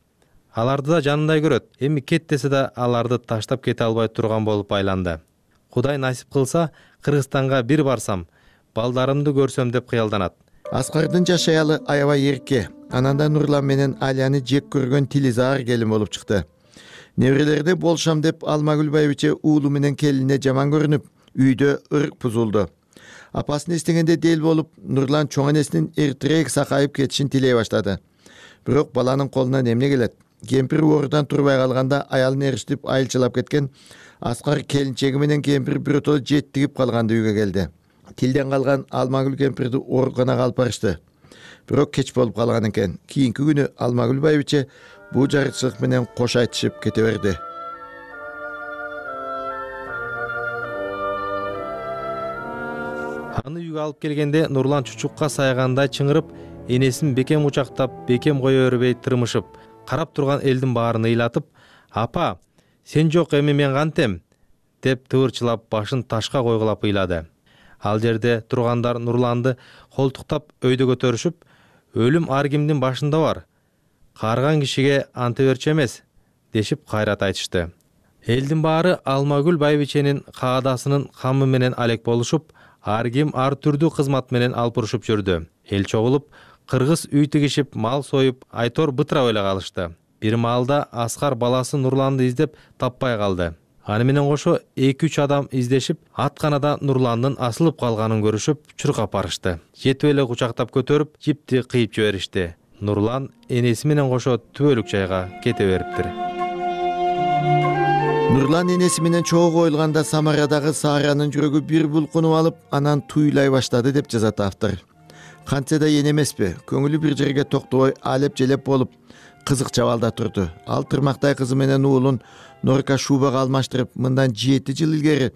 Аларды да жанындай көрөт. Эми кет десе да аларды таштап кете албай турган болуп айланды. Кудай насип кылса, Кыргызстанга бир барсам, балдарымды көрсөм деп кыялданат. Аскардын жаш аялы аябай эрке. Ананда Нурлан менен Алияны жек көргөн Тилизар келин болуп чыкты. Неберелерде болшам деп Алмагүл байбиче уулу менен келинине жаман көрүнүп, үйдө ырк бузулду. Апасын эстегенде дел болуп, Нурлан чоң энесинин эртерээк сакайып кетишин тилей баштады. Бирок баланын колунан эмне келет? Кемпир оорудан турбай калганда аялын эриштип айылчылап кеткен Аскар келинчеги менен кемпир биротоло жеттигип калганды үйгө келди. Тилден калган Алмагүл кемпирди ооруканага алып барышты. Бирок кеч болуп калган экен. Кийинки күнү Алмагүл байбиче бул жарычылык менен кош айтышып кете берди. Аны үйгө алып келгенде Нурлан чучукка сайгандай чыңырып, энесин бекем кучактап, бекем кое бербей тырмышып, карап турган элдин баарын ыйлатып, "Апа, сен жок эми мен кантем?" деп тыбырчылап башын ташка койгулап ыйлады. Ал жерде тургандар Нурланды колтуктап өйдө көтөрүшүп, "Өлүм ар кимдин башында бар. Карган кишиге анте берчү эмес" дешип кайрат айтышты. Элдин баары Алмагүл байбиченин каадасынын камы менен алек болушуп, ар ким ар түрдүү кызмат менен алпурушуп жүрдү. Эл чогулуп, кыргыз үй тигишип, мал союп, айтор бытырап эле калышты. Бир маалда Аскар баласы Нурланды издеп таппай калды. Аны менен кошо эки үч адам издешип, атканада Нурландын асылып калганын көрүшүп, чуркап барышты. Жетип эле кучактап көтөрүп, жипти кыйып жиберишти. Нурлан энеси менен кошо түбөлүк жайга кете бериптир. Нурлан энеси менен чогуу коюлганда Самарадагы Сааранын жүрөгү бир булкунуп алып, анан туйлай баштады деп жазат автор. Кантсе да эне эмеспи, көңүлү бир жерге токтобой алеп желеп болуп, кызык чабалда турду. Ал тырмактай кызы менен уулун Норка Шубага алмаштырып, мындан жети жыл илгери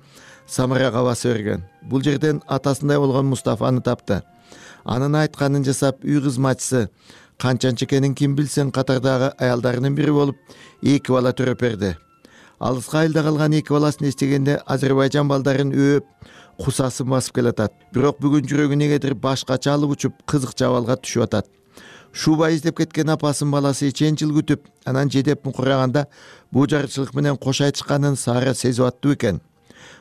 Самарага баса берген. Бул жерден атасындай болгон Мустафаны тапты. Анын айтканын жасап, үй кызматчысы Канчанчы экенин ким билсен катардагы аялдарынын бири болуп, эки бала төрөп берди. Алыска айылда калган эки баласын эстегенде Азербайжан балдарын өөп, кусасын басып келатат. Бирок бүгүн жүрөгү негедир башкача алып учуп, кызык чабалга түшүп атат. Шуба издеп кеткен апасын баласы эчен жыл күтүп, анан жедеп мукураганда бул жарычылык менен кош айтышканын Саара сезип аттуу экен.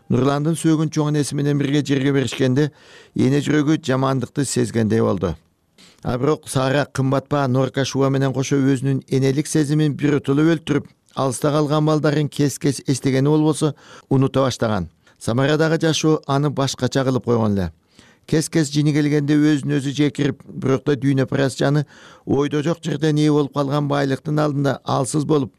Нурландын сөөгүн чоң энеси менен бирге жерге беришкенде, эне жүрөгү жамандыкты сезгендей болду. А бирок Саара кымбатпа Норка Шуба менен кошо өзүнүн энелик сезимин биротоло өлтүрүп, алыста калган балдарын кес-кес эстегени болбосо унута баштаган. Самарадагы жашоо аны башкача кылып койгон эле. Кес-кес жини келгенде өзүн өзү жекирип, бирок да дүйнө парас жаны ойдо жок жерден ээ болуп калган байлыктын алдында алсыз болуп,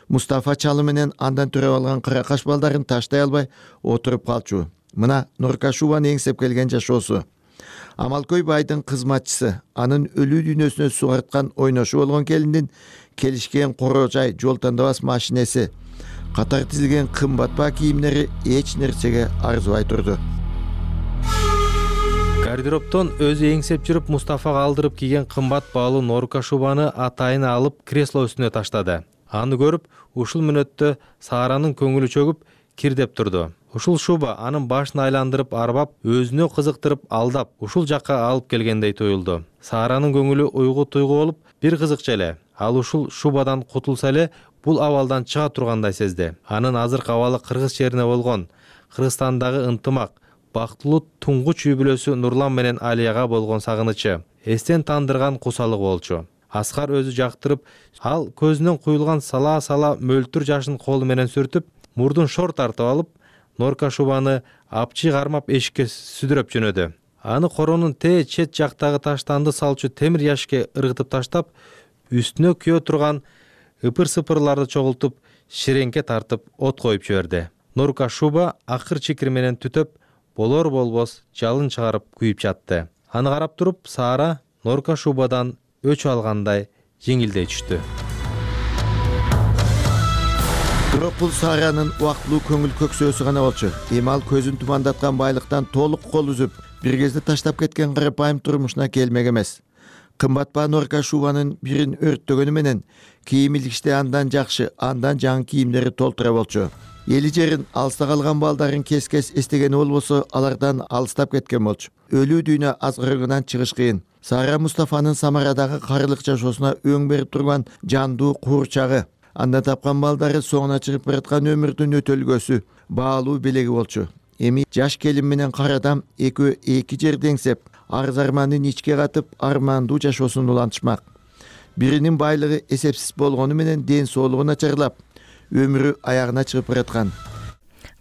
Мустафа чалы менен андан төрөп алган кыракаш балдарын таштай албай отуруп калчу. Мына Норка Шубаны эңсеп келген жашоосу. Амалкөй байдын кызматчысы, анын өлүү дүйнөсүнө сугарткан ойношу болгон келиндин келишкен коро жай жол тандабас машинеси, катар тизилген кымбатпа кийимдери эч нерсеге арзыбай турду. Гардеробтон өзү эңсеп жүрүп Мустафага алдырып кийген кымбат баалуу Норка Шубаны атайын алып кресло үстүнө таштады. Аны көрүп, ушул мүнөттө Сааранын көңүлү чөгүп, кирдеп турду. Ушул Шуба анын башын айландырып арбап, өзүнө кызыктырып алдап, ушул жакка алып келгендей туюлду. Сааранын көңүлү уйгу туйгу болуп, бир кызыкча эле. Ал ушул Шубадан кутулса эле, бул абалдан чыга тургандай сезди. Анын азыркы абалы кыргыз жерине болгон, Кыргызстандагы ынтымак, бактылуу туңгуч үй бүлөсү Нурлан менен Алияга болгон сагынычы, эстен тандырган кусалык болчу. Аскар өзү жактырып, ал көзүнөн куюлган сала-сала мөлтүр жашын колу менен сүртүп, мурдун шор тартып алып, Норка Шубаны апчый кармап эшикке сүдүрөп жөнөдү. Аны коронун тээ чет жактагы таштанды салчу темир яшикке ыргытып таштап, үстүнө күйө турган ыпыр-сыпырларды чогултуп, ширеңке тартып от коюп жиберди. Норка Шуба акыр чикир менен түтөп, болор болбос жалын чыгарып күйүп жатты. Аны карап туруп, Саара Норка Шубадан өч алгандай жеңилдей түштү. Бирок бул Сааранын убактылуу көңүл көксөөсү гана болчу. Эми ал көзүн тумандаткан байлыктан толук кол үзүп, бир кезде таштап кеткен карапайым турмушуна келмек эмес. Кымбатпа Норка Шубанын бирин өрттөгөнү менен кийим илгичте андан жакшы, андан жаңы кийимдери толтура болчу. Эли жерин, алыста калган балдарын кес-кес эстегени болбосо, алардан алыстап кеткен болчу. Өлүү дүйнө азгырыгынан чыгыш кыйын. Саара Мустафанын Самарадагы карылык жашоосуна өң берип турган жандуу куурчагы, андан тапкан балдары соңуна чыгып бараткан өмүрдүн өтөлгөсү, баалуу белеги болчу. Эми жаш келин менен кара адам экөө эки жерде эңсеп, арыз армандын ичке катып, армандуу жашоосун улантышмак. Биринин байлыгы эсепсиз болгону менен ден соолугу начарлап, өмүрү аягына чыгып бараткан.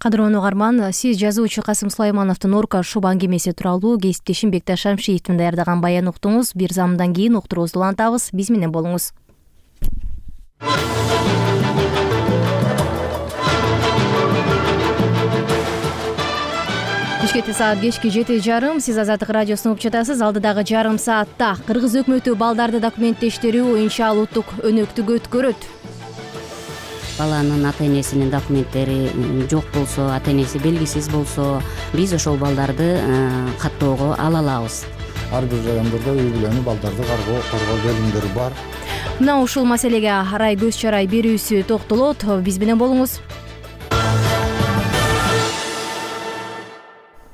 Кадырлуу угарман, сиз жазуучу Касым Сулаймановдун Орка шуб аңгемеси тууралуу кесиптешим Бекташ Шамшиевдин даярдаган баян уктуңуз. Бир замдан кийин уктуруубузду улантабыз. Биз менен болуңуз. Бишкекте саат кечки жети жарым. Сиз Азаттык радиосун угуп жатасыз. Алдыдагы жарым саатта Кыргыз өкмөтү балдарды документтештирүү оюнча улуттук өнөктүк өткөрөт. Баланын ата энесинин документтери жок болсо, ата энеси белгисиз болсо, биз ошол балдарды каттоого ала алабыз. Ар бир райондордо үй бүлөнү балдарды каргоо коргоо бөлүмдөрү бар. Мына ушул маселеге арай көз чарай берүүсү токтолот. Биз менен болуңуз.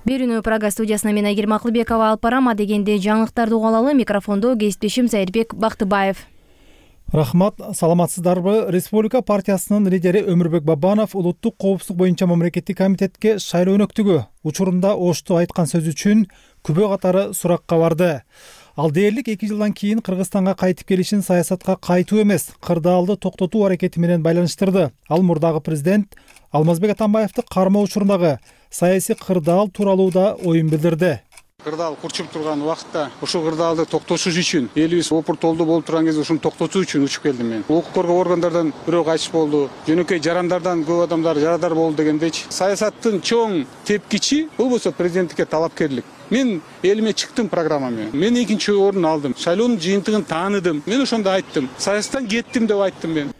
Берүүнү Прага студиясына мен Айгерим Акылбекова алып барам. Дегенде жаңылыктарды угуп алалы. Микрофондо кесиптешим Зайырбек Бактыбаев. Рахмат, саламатсыздарбы? Республика партиясынын лидери Өмүрбек Бабанов улуттук коопсуздук боюнча мамлекеттик комитетке шайлоо өнөктүгү учурунда Ошту айткан сөзү үчүн күбө катары суракка барды. Ал дээрлик эки жылдан кийин Кыргызстанга кайтып келишин саясатка кайтуу эмес, кырдаалды токтотуу аракети менен байланыштырды. Ал мурдагы президент Алмазбек Атамбаевди кармоо учурундагы саясий кырдаал тууралуу да оюн билдирди. Кырдаал курчуп турган убакытта ушул кырдаалды токтотуш үчүн, элибиз опуртолду болуп турган кезде ушуну токтотуу үчүн учуп келдим мен. Укук коргоо органдардан бирөө кайтыш болду, жөнөкөй жарандардан көп адамдар жарадар болду дегендейчи. Саясаттын чоң тепкичи болбосо президенттикке талапкерлик. Мен элиме чыктым программа менен. Мен экинчи орун алдым. Шайлоонун жыйынтыгын тааныдым. Мен ошондо айттым. Саясаттан кеттим деп айттым мен.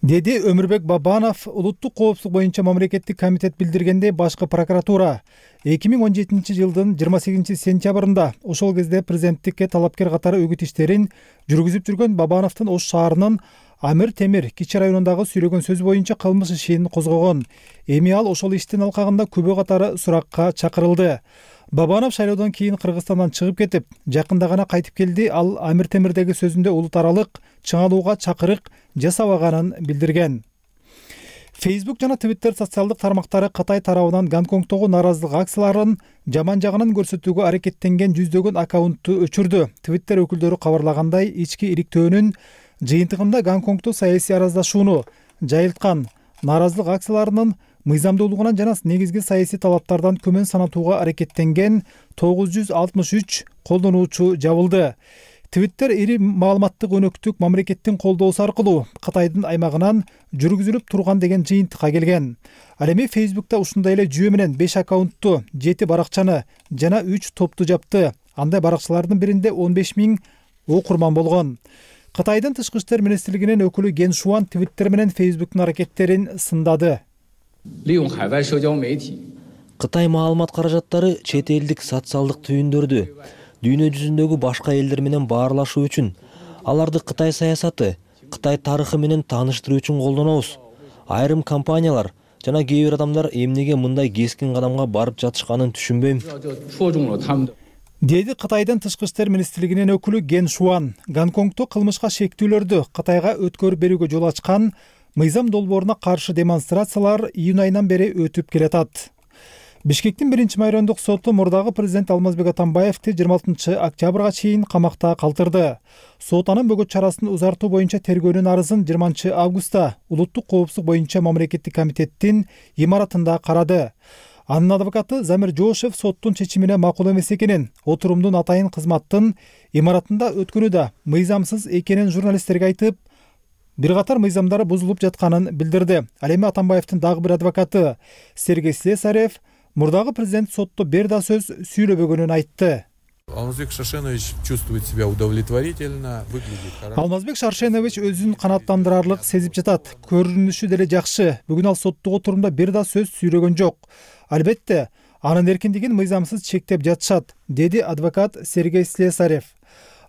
Деди Өмүрбек Бабанов. Улуттук коопсуздук боюнча мамлекеттик комитет билдиргендей, башкы прокуратура эки миң он жетинчи жылдын жыйырма сегизинчи сентябрында ошол кезде президенттикке талапкер катары өгүт иштерин жүргүзүп жүргөн Бабановдун Ош шаарынын Амир Темир кичи районундагы сүйлөгөн сөз боюнча кылмыш ишин козгогон. Эми ал ошол иштин алкагында күбө катары суракка чакырылды. Бабанов шайлоодон кийин Кыргызстандан чыгып кетип, жакында гана кайтып келди. Ал Амир Темирдеги сөзүндө улут аралык чыңалууга чакырык жасабаганын билдирген. Facebook жана Twitter социалдык тармактары Кытай тарабынан Гонконгдогу нааразылык акцияларын жаман жагынан көрсөтүүгө аракеттенген жүздөгөн аккаунтту өчүрдү. Twitter өкүлдөрү кабарлагандай, ички иликтөөнүн жыйынтыгында Гонконгдо саясий араздашууну жайылткан нааразылык акцияларынын мыйзамдуулугунан жана негизги саясий талаптардан көмөн санатууга аракеттенген тогуз жүз алтымыш үч колдонуучу жабылды. Twitter ири маалыматтык өнөктүк мамлекеттин колдоосу аркылуу Кытайдын аймагынан жүргүзүлүп турган деген жыйынтыкка келген. Ал эми Facebook'та ушундай эле жүйө менен беш аккаунтту, жети баракчаны жана үч топту жапты. Андай баракчалардын биринде он беш миң окурман болгон. Кытайдын тышкы иштер министрлигинин өкүлү Ген Шуан Twitter менен Facebook'тун аракеттерин сындады. Кытай маалымат каражаттары чет элдик социалдык түйүндөрдү дүйнө жүзүндөгү башка элдер менен баарлашуу үчүн, аларды Кытай саясаты, Кытай тарыхы менен тааныштыруу үчүн колдонобуз. Айрым компаниялар жана кээ бир адамдар эмнеге мындай кескин кадамга барып жатышканын түшүнбөйм. Деди Кытайдын тышкы иштер министрлигинин өкүлү Ген Шуан. Гонконгдо кылмышка шектүүлөрдү Кытайга өткөрүп берүүгө жол ачкан мыйзам долбооруна каршы демонстрациялар июнь айынан бери өтүп келатат. Бишкектин биринчи майрандык соту мурдагы президент Алмазбек Атамбаевди жыйырма алтынчы октябрга чейин камакта калтырды. Сот анын бөгөт чарасын узартуу боюнча тергөөнүн арызын жыйырманчы августта улуттук коопсуздук боюнча мамлекеттик комитеттин имаратында карады. Анын адвокаты Замир Жошев соттун чечимине макул эмес экенин, отурумдун атайын кызматтын имаратында өткөнү да мыйзамсыз экенин журналисттерге айтып, бир катар мыйзамдар бузулуп жатканын билдирди. Ал эми Атамбаевдин дагы бир адвокаты Сергей Слесарев мурдагы президент сотто бир да сөз сүйлөбөгөнүн айтты. Алмазбек Шаршенович чувствует себя удовлетворительно, выглядит хорошо. Алмазбек Шаршенович өзүн канааттандырарлык сезип жатат. Көрүнүшү деле жакшы. Бүгүн ал соттук отурумда бир да сөз сүйлөгөн жок. Албетте, анын эркиндигин мыйзамсыз чектеп жатышат, деди адвокат Сергей Слесарев.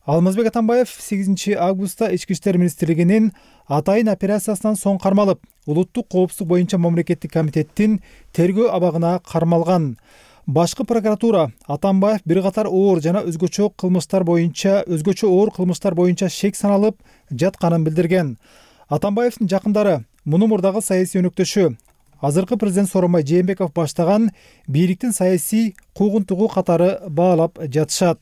Алмазбек Атамбаев сегизинчи августта ички иштер министрлигинин атайын операциясынан соң кармалып, улуттук коопсуздук боюнча мамлекеттик комитеттин тергөө абагына кармалган. Башкы прокуратура Атамбаев бир катар оор жана өзгөчө кылмыштар боюнча өзгөчө оор кылмыштар боюнча шек саналып жатканын билдирген. Атамбаевдин жакындары муну мурдагы саясий өнөктөшү азыркы президент Сооронбай Жээнбеков баштаган бийликтин саясий куугунтугу катары баалап жатышат.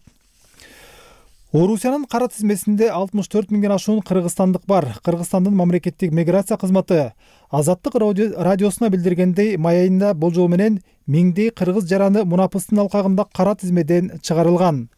Орусиянын кара тизмесинде алтымыш төрт миңден ашуун кыргызстандык бар. Кыргызстандын мамлекеттик миграция кызматы Азаттык радиосуна билдиргендей, май айында болжол менен миңдей кыргыз жараны мунапыстын алкагында кара тизмеден чыгарылган.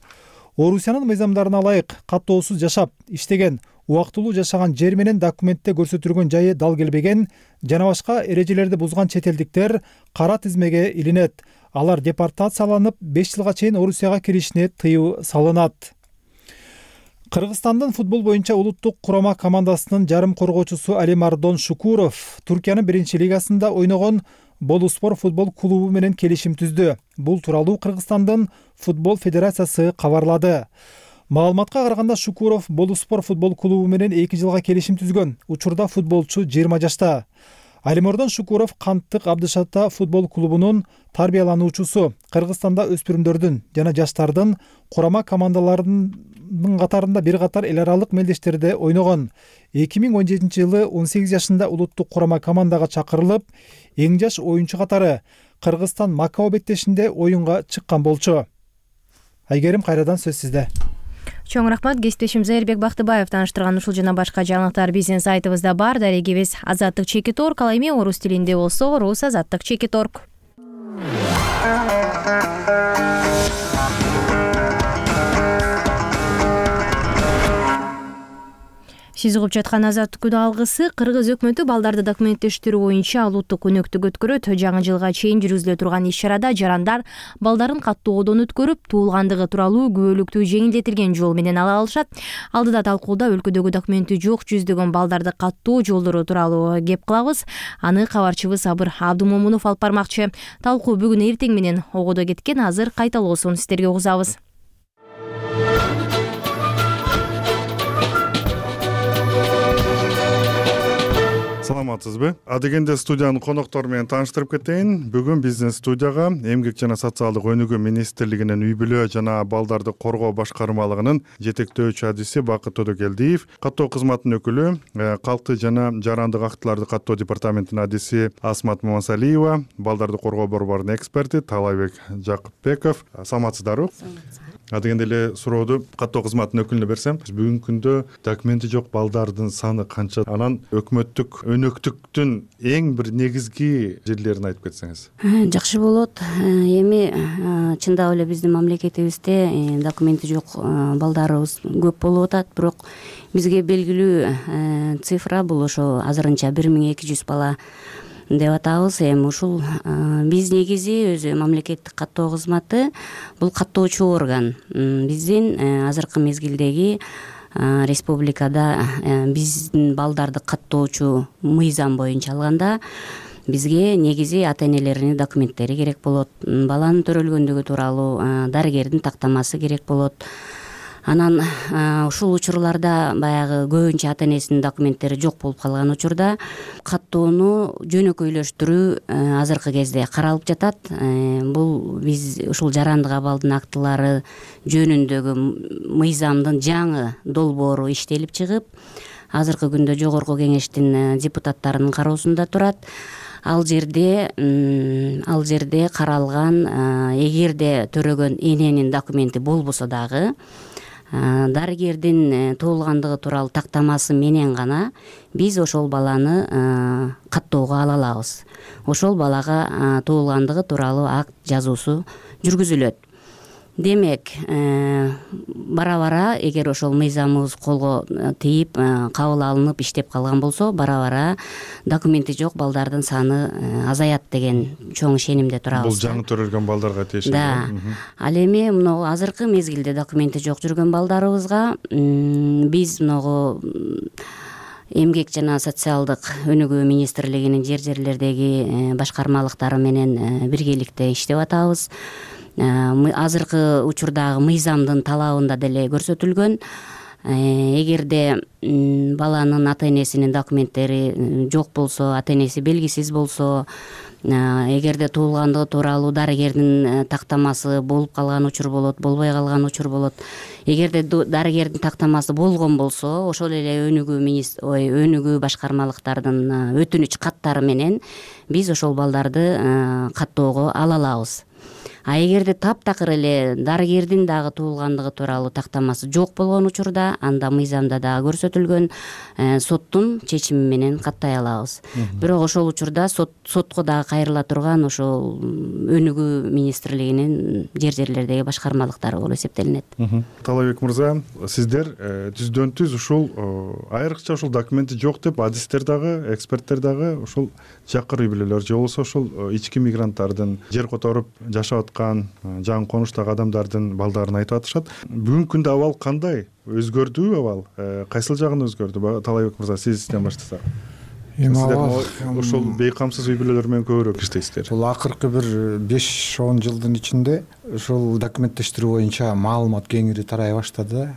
Орусиянын мыйзамдарына ылайык каттоосуз жашап, иштеген, убактылуу жашаган жер менен документте көрсөтүлгөн жайы дал келбеген жана башка эрежелерди бузган чет элдиктер кара тизмеге илинет. Алар депортацияланып, беш жылга чейин Орусияга киришине тыюу салынат. Кыргызстандын футбол боюнча улуттук курама командасынын жарым коргоочусу Алимардон Шукуров Туркиянын биринчи лигасында ойногон Болуспор футбол клубу менен келишим түздү. Бул тууралуу Кыргызстандын футбол федерациясы кабарлады. Маалыматка караганда Шукуров Болуспор футбол клубу менен эки жылга келишим түзгөн. Учурда футболчу жыйырма жашта. Алимардон Шукуров Канттык Абдышата футбол клубунун тарбиялануучусу. Кыргызстанда өспүрүмдөрдүн жана жаштардын курама командаларынын катарында бир катар эл аралык мелдештерде ойногон. эки миң он жетинчи жылы он сегиз жашында улуттук курама командага чакырылып, эң жаш оюнчу катары Кыргызстан Макао беттешинде оюнга чыккан болчу. Айгерим, кайрадан сөз сизде. Чоң рахмат. Кесиптешим Зайырбек Бактыбаев тааныштырган ушул жана башка жаңылыктар биздин сайтыбызда бар. Дарегибиз Азаттык чекит орг, ал эми орус тилинде болсо Рус Азаттык чекит орг. Сиз угуп жаткан Азаттык күнү алгысы. Кыргыз өкмөтү балдарды документтештирүү боюнча улуттук өнөктүк өткөрөт. Жаңы жылга чейин жүргүзүлө турган иш-чарада жарандар балдарын каттоодон өткөрүп, туулгандыгы тууралуу күбөлүктү жеңилдетилген жол менен ала алышат. Алдыда талкууда өлкөдөгү документи жок жүздөгөн балдарды каттоо жолдору тууралуу кеп кылабыз. Аны кабарчыбыз Сабыр Абдумомунов алып бармакчы. Талкуу бүгүн эртең менен огодо кеткен. Азыр кайталоосун сиздерге угузабыз. Саламатсызбы? Адегенде студиянын коноктору менен тааныштырып кетейин. Бүгүн биздин студияга Эмгек жана социалдык өнүгүү министрлигинин үй бүлө жана балдарды коргоо башкармалыгынын жетектөөчү адиси Бакыт Төдөкелдиев, каттоо кызматынын өкүлү, калкты жана жарандык актыларды каттоо департаментинин адиси Асмат Мамасалиева, балдарды коргоо борборунун эксперти Талайбек Жакыпбеков. Саламатсыздарбы? Адегенде эле сурооду каттоо кызматынын өкүлүнө берсем, бүгүнкү күндө документи жок балдардын саны канча? Анан өкмөттүк өнөктүктүн эң бир негизги жерлерин айтып кетсеңиз. Жакшы болот. Эми чындап эле биздин мамлекетибизде документи жок балдарыбыз көп болуп атат, бирок бизге белгилүү цифра бул ошо азырынча бир миң эки жүз бала деп атабыз. Эми ушул биз негизи өзү мамлекеттик каттоо кызматы бул каттоочу орган. Биздин азыркы мезгилдеги республикада биздин балдарды каттоочу мыйзам боюнча алганда бизге негизи ата энелеринин документтери керек болот. Баланын төрөлгөндүгү тууралуу дарыгердин тактамасы керек болот. Анан ушул учурларда баягы көбүнчө ата энесинин документтери жок болуп калган учурда каттоону жөнөкөйлөштүрүү азыркы кезде каралып жатат. Бул биз ушул жарандык абалдын актылары жөнүндөгү мыйзамдын жаңы долбоору иштелип чыгып, азыркы күндө жогорку кеңештин депутаттарынын кароосунда турат. Ал жерде ал жерде каралган, эгерде төрөгөн эненин документи болбосо дагы дарыгердин туулгандыгы тууралуу тактамасы менен гана биз ошол баланы каттоого ала алабыз. Ошол балага туулгандыгы тууралуу акт жазуусу жүргүзүлөт. Демек, бара-бара эгер ошол мыйзамыбыз колго тийип, кабыл алынып иштеп калган болсо, бара-бара документи жок балдардын саны азаят деген чоң ишенимде турабыз. Бул жаңы төрөлгөн балдарга тиешелүү. Да. Ал эми мына азыркы мезгилде документи жок жүргөн балдарыбызга биз мына Эмгек жана социалдык өнүгүү министрлигинин жер жерлердеги башкармалыктары менен биргеликте иштеп атабыз. Азыркы учурдагы мыйзамдын талабында деле көрсөтүлгөн. Эгерде баланын ата энесинин документтери жок болсо, ата энеси белгисиз болсо, эгерде туулгандыгы тууралуу дарыгердин тактамасы болуп калган учур болот, болбой калган учур болот. Эгерде дарыгердин тактамасы болгон болсо, ошол эле өнүгүү министр, ой, өнүгүү башкармалыктардын өтүнүч каттары менен биз ошол балдарды каттоого ала алабыз. А эгерде таптакыр эле дарыгердин дагы туулгандыгы тууралуу тактамасы жок болгон учурда анда мыйзамда дагы көрсөтүлгөн соттун чечими менен каттай алабыз. Бирок ошол учурда сотко дагы кайрыла турган ошол өнүгүү министрлигинин жер жерлердеги башкармалыктары болуп эсептелинет. Талайбек мырза, сиздер түздөн түз ушул айрыкча ушул документи жок деп адистер дагы, эксперттер дагы ушул жакыр үй бүлөлөр же болбосо ушул ички мигранттардын жер которуп жашап аткан жаңы конуштагы адамдардын балдарын айтып атышат. Бүгүнкү күндө абал кандай? Өзгөрдүбү абал? Кайсыл жагын өзгөрдү? Талайбек мырза, сизден баштасак. Сиздер ушул бейкамсыз үй бүлөлөр менен көбүрөөк иштейсиздер. Бул акыркы бир беш он жылдын ичинде ушул документтештирүү боюнча маалымат кеңири тарай баштады.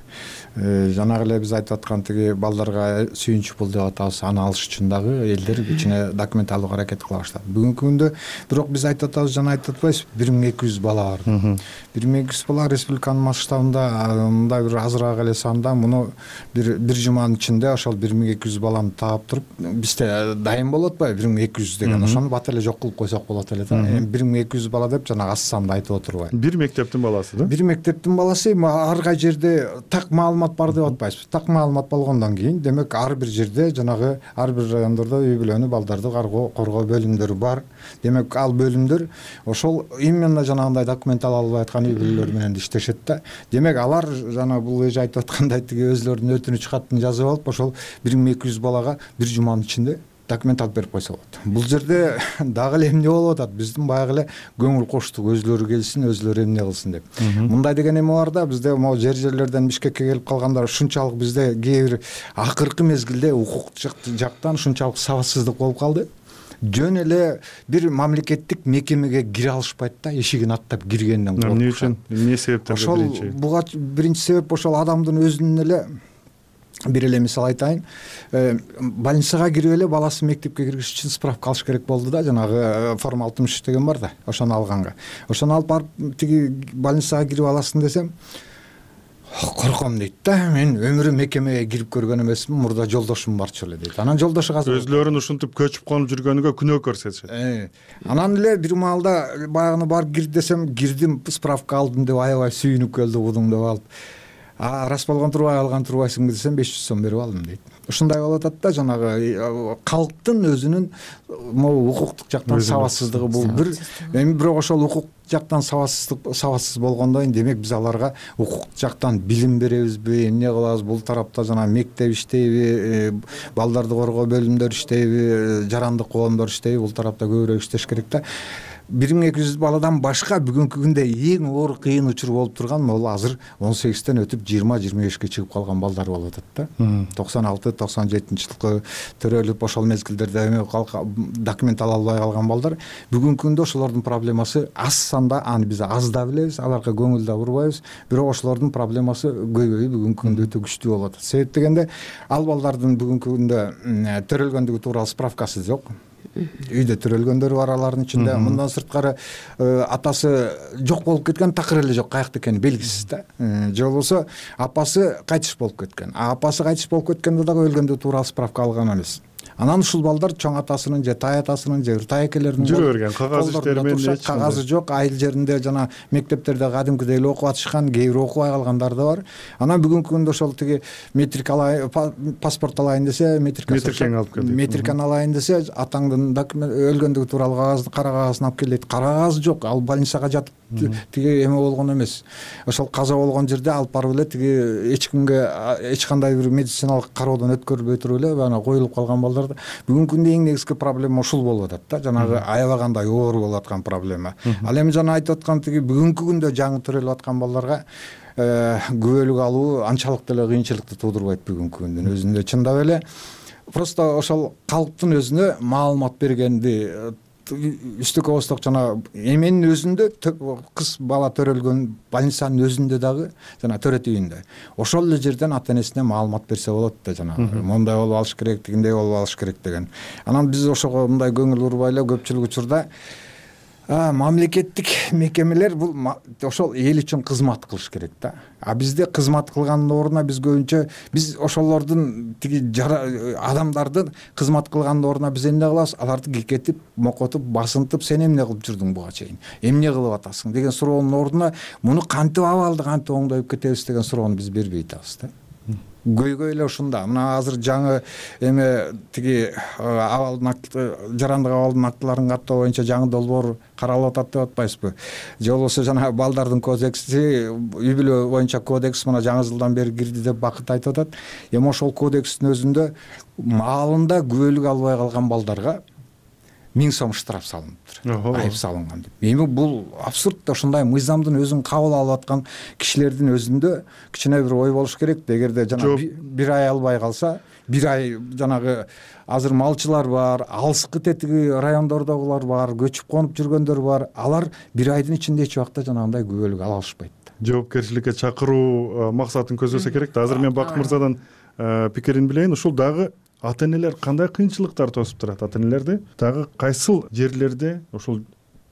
Жанагы эле биз айтып аткан тиги балдарга сүйүнчү пул деп атабыз, аны алыш үчүн дагы элдер кичине документ алууга аракет кыла баштады. Бүгүнкү күндө бирок биз айтып атабыз, жана айтып атпайбыз, бир миң эки жүз бала бар. бир миң эки жүз бала республиканын масштабында, мындай бир азыраак эле санда муну бир бир жуманын ичинде ошол бир миң эки жүз баланы таап туруп, бизде дайым болуп атпайбы бир миң эки жүз деген, ошону бат эле жок кылып койсок болот эле да. Эми бир миң эки жүз бала деп жанагы аз санды айтып отурбайм. Бир мектептин баласы да? Бир мектептин баласы, ар кай жерде так маалымат бар деп атпайбыз. Так маалымат болгондон кийин, демек ар бир жерде жанагы ар бир райондордо үй бүлөнү, балдарды коргоо бөлүмдөрү бар. Демек ал бөлүмдөр ошол именно жанагындай документ ала албай аткан үй бүлөлөр менен иштешет да. Демек алар жана бул эже айтып аткандай тиги өзлөрүнүн өтүнүч катын жазып алып, ошол бир миң эки жүз балага бир жуманын ичинде документ алып берип койсо болот. Бул жерде дагы эле эмне болуп атат? Биздин баягы эле көңүл коштук, өзлөрү келсин, өзлөрү эмне кылсын деп. Мындай деген эме бар да, бизде могу жер жерлерден Бишкекке келип калгандар ушунчалык бизде кээ бир акыркы мезгилде укук жактан ушунчалык сабатсыздык болуп калды. Жөн эле бир мамлекеттик мекемеге кире алышпайт да, эшигин аттап киргенден коркуп. Эмне үчүн? Эмне себептерди биринчи? Ошол буга биринчи себеп ошол адамдын өзүнүн эле. Бир эле мисал айтайын, больницага кирип эле баласын мектепке киргизиш үчүн справка алыш керек болду да, жанагы форма алтымыш үч деген бар да, ошону алганга. Ошону алып барып тиги больницага кирип аласың десем, корком дейт да, мен өмүрүм мекемеге кирип көргөн эмесмин, мурда жолдошум барчу эле дейт. Анан жолдошу азыр өзлөрүн ушинтип көчүп конуп жүргөнүгө күнөө көрсөтүшөт. Анан эле бир маалда баягыны барып кир десем, кирдим, справка алдым деп аябай сүйүнүп келди будуң деп алып. А рас болгон турбай алган турбайсыңбы десем, беш жүз сом берип алдым дейт. Ушундай болуп атат да, жанагы калктын өзүнүн могу укуктук жактан сабатсыздыгы бул бир. Эми бирок ошол укук жактан сабатсыздык сабатсыз болгондон кийин демек биз аларга укук жактан билим беребизби, эмне кылабыз? Бул тарапта жана мектеп иштейби, балдарды коргоо бөлүмдөр иштейби, жарандык коомдор иштейби, бул тарапта көбүрөөк иштеш керек да. бир миң эки жүз баладан башка бүгүнкү күндө эң оор кыйын учур болуп турган могул азыр он сегизден өтүп жыйырма жыйырма бешке чыгып калган балдар болуп атат да. токсон алты токсон жетинчи жылкы төрөлүп ошол мезгилдерде эме документ ала албай калган балдар бүгүнкү күндө ошолордун проблемасы аз санда, аны биз аз да билебиз, аларга көңүл да бурбайбыз, бирок ошолордун проблемасы көйгөйү бүгүнкү күндө өтө күчтүү болуп атат. Себеп дегенде ал балдардын бүгүнкү күндө төрөлгөндүгү тууралуу справкасы жок. Үйдө төрөлгөндөр бар алардын ичинде. Мындан сырткары атасы жок болуп кеткен, такыр эле жок, каякта экени белгисиз да. Же болбосо апасы кайтыш болуп кеткен. А апасы кайтыш болуп кеткенде дагы өлгөндүгү тууралуу справка алган эмес. Анан ушул балдар чоң атасынын же тай атасынын же тай экелеринин жүрө берген, кагаз иштери менен эч кагазы жок, айыл жеринде жана мектептерде кадимкидей эле окуп атышкан, кээ бир окубай калгандар да бар. Анан бүгүнкү күндө ошол тиги метрик алайын, паспорт алайын десе, метрикени алып кел. Метрикени алайын десе, атаңдын өлгөндүгү тууралуу кагазды, кара кагазын алып кел дейт. Кара кагаз жок, ал больницага жатып тиги эме болгон эмес. Ошол каза болгон жерде алып барып эле тиги эч кимге эч кандай бир медициналык кароодон өткөрүлбөй туруп эле анан коюлуп калган балдар. Бүгүнкү күндө эң негизги проблема ушул болуп атат да, жанагы аябагандай оор болуп аткан проблема. Ал эми жана айтып аткан тиги бүгүнкү күндө жаңы төрөлүп аткан балдарга күбөлүк алуу анчалык деле кыйынчылыкты туудурбайт бүгүнкү күндүн өзүндө. Чындап эле просто ошол калктын өзүнө маалымат бергенди үстүккө косток жана эменин өзүндө кыз бала төрөлгөн больницанын өзүндө дагы жана төрөт үйүндө ошол эле жерден ата энесине маалымат берсе болот да, жана мондай болуп алыш керек, тигиндей болуп алыш керек деген. Анан биз ошого мындай көңүл бурбай эле көпчүлүк учурда мамлекеттик мекемелер бул ошол эл үчүн кызмат кылыш керек да. А бизде кызмат кылгандын ордуна биз көбүнчө биз ошолордун тиги адамдардын кызмат кылгандын ордуна биз эмне кылабыз? Аларды кекетип, мокотуп, басынтып, сен эмне кылып жүрдүң буга чейин? Эмне кылып атасың деген суроонун ордуна муну кантип абалды кантип оңдоюп кетебиз деген суроону биз бербей атабыз да. Көйгөй эле ушунда. Мына азыр жаңы эме тиги абалдын акты, жарандык абалдын актыларын каттоо боюнча жаңы долбоор каралып атат деп атпайсызбы? Же болбосо жана балдардын кодекси, үй бүлө боюнча кодекс мына жаңы жылдан бери кирди деп Бакыт айтып атат. Эми ошол кодекстин өзүндө маалында күбөлүк албай калган балдарга миң сом штраф салыныптыр, айып салынган деп. Эми бул абсурд да. Ушундай мыйзамдын өзүн кабыл алып аткан кишилердин өзүндө кичине бир ой болуш керек. Эгерде жана бир ай албай калса, бир ай жанагы азыр малчылар бар, алыскы тетиги райондордогулар бар, көчүп конуп жүргөндөр бар. Алар бир айдын ичинде эч убакта жанагындай күбөлүк ала алышпайт. Жоопкерчиликке чакыруу максатын көздөсө керек да. Азыр мен Бакыт мырзадан пикирин билейин. Ушул дагы ата энелер кандай кыйынчылыктар тосуп турат? Ата энелерди дагы кайсыл жерлерде ушул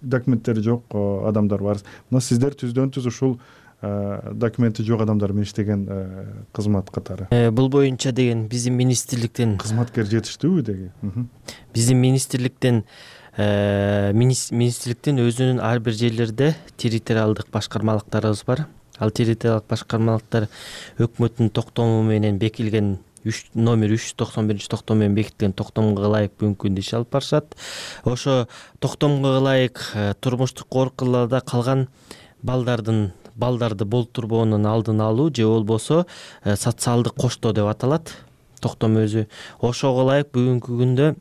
документтери жок адамдар бар? Мына сиздер түздөн түз ушул документи жок адамдар менен иштеген кызмат катары. Бул боюнча деген биздин министрликтен кызматкер жетиштүүбү деги? Биздин министрликтен министрликтин өзүнүн ар бир жерлерде территориалдык башкармалыктарыбыз бар. Ал территориалдык башкармалыктар өкмөттүн токтому менен бекилген номер үч жүз токсон биринчи токтом менен бекитилген токтомго ылайык бүгүнкү күндө иш алып барышат. Ошо токтомго ылайык турмуштук коркуларда калган балдардын балдарды болтурбоонун алдын алуу же болбосо социалдык коштоо деп аталат токтом өзү. Ошого ылайык бүгүнкү күндө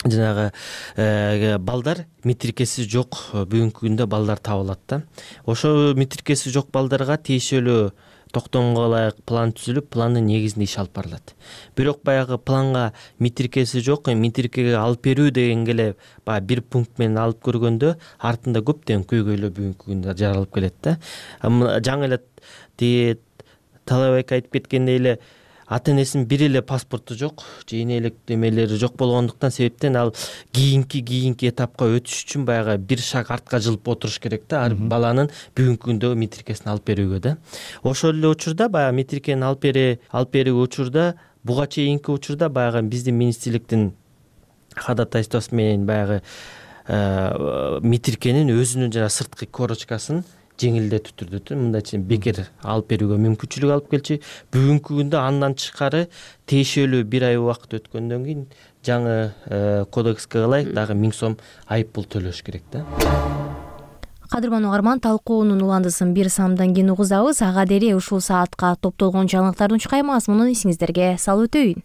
жанагы балдар метрикеси жок бүгүнкү күндө балдар табылат да. Ошо метрикеси жок балдарга тиешелүү токтомго ылайык план түзүлүп, пландын негизинде иш алып барылат. Бирок баягы планга метрикеси жок, метрикеге алып берүү дегенге эле баягы бир пункт менен алып көргөндө артында көптөгөн көйгөйлөр бүгүнкү күндө жаралып келет да. Жаңы эле тиги Талабек айтып кеткендей эле ата энесинин бир эле паспорту жок, же энелик демелери жок болгондуктан себептен ал кийинки кийинки этапка өтүш үчүн баягы бир шаг артка жылып отуруш керек да, ар баланын бүгүнкү күндөгү метрикесин алып берүүгө да. Ошол эле учурда баягы метрикени алып бере алып берүү учурда буга чейинки учурда баягы биздин министрликтин ходатайствосу менен баягы метрикенин өзүнүн жана сырткы корочкасын жеңилдетүү түрдө мындайча бекер алып берүүгө мүмкүнчүлүк алып келчү. Бүгүнкү күндө андан тышкары тиешелүү бир ай убакыт өткөндөн кийин жаңы кодекске ылайык дагы миң сом айып пул төлөш керек да. Кадырман угарман, талкуунун уландысын бир самдан кийин угузабыз. Ага дере ушул саатка топтолгон жаңылыктардын чукай мазмунун эсиңиздерге салып өтөйүн.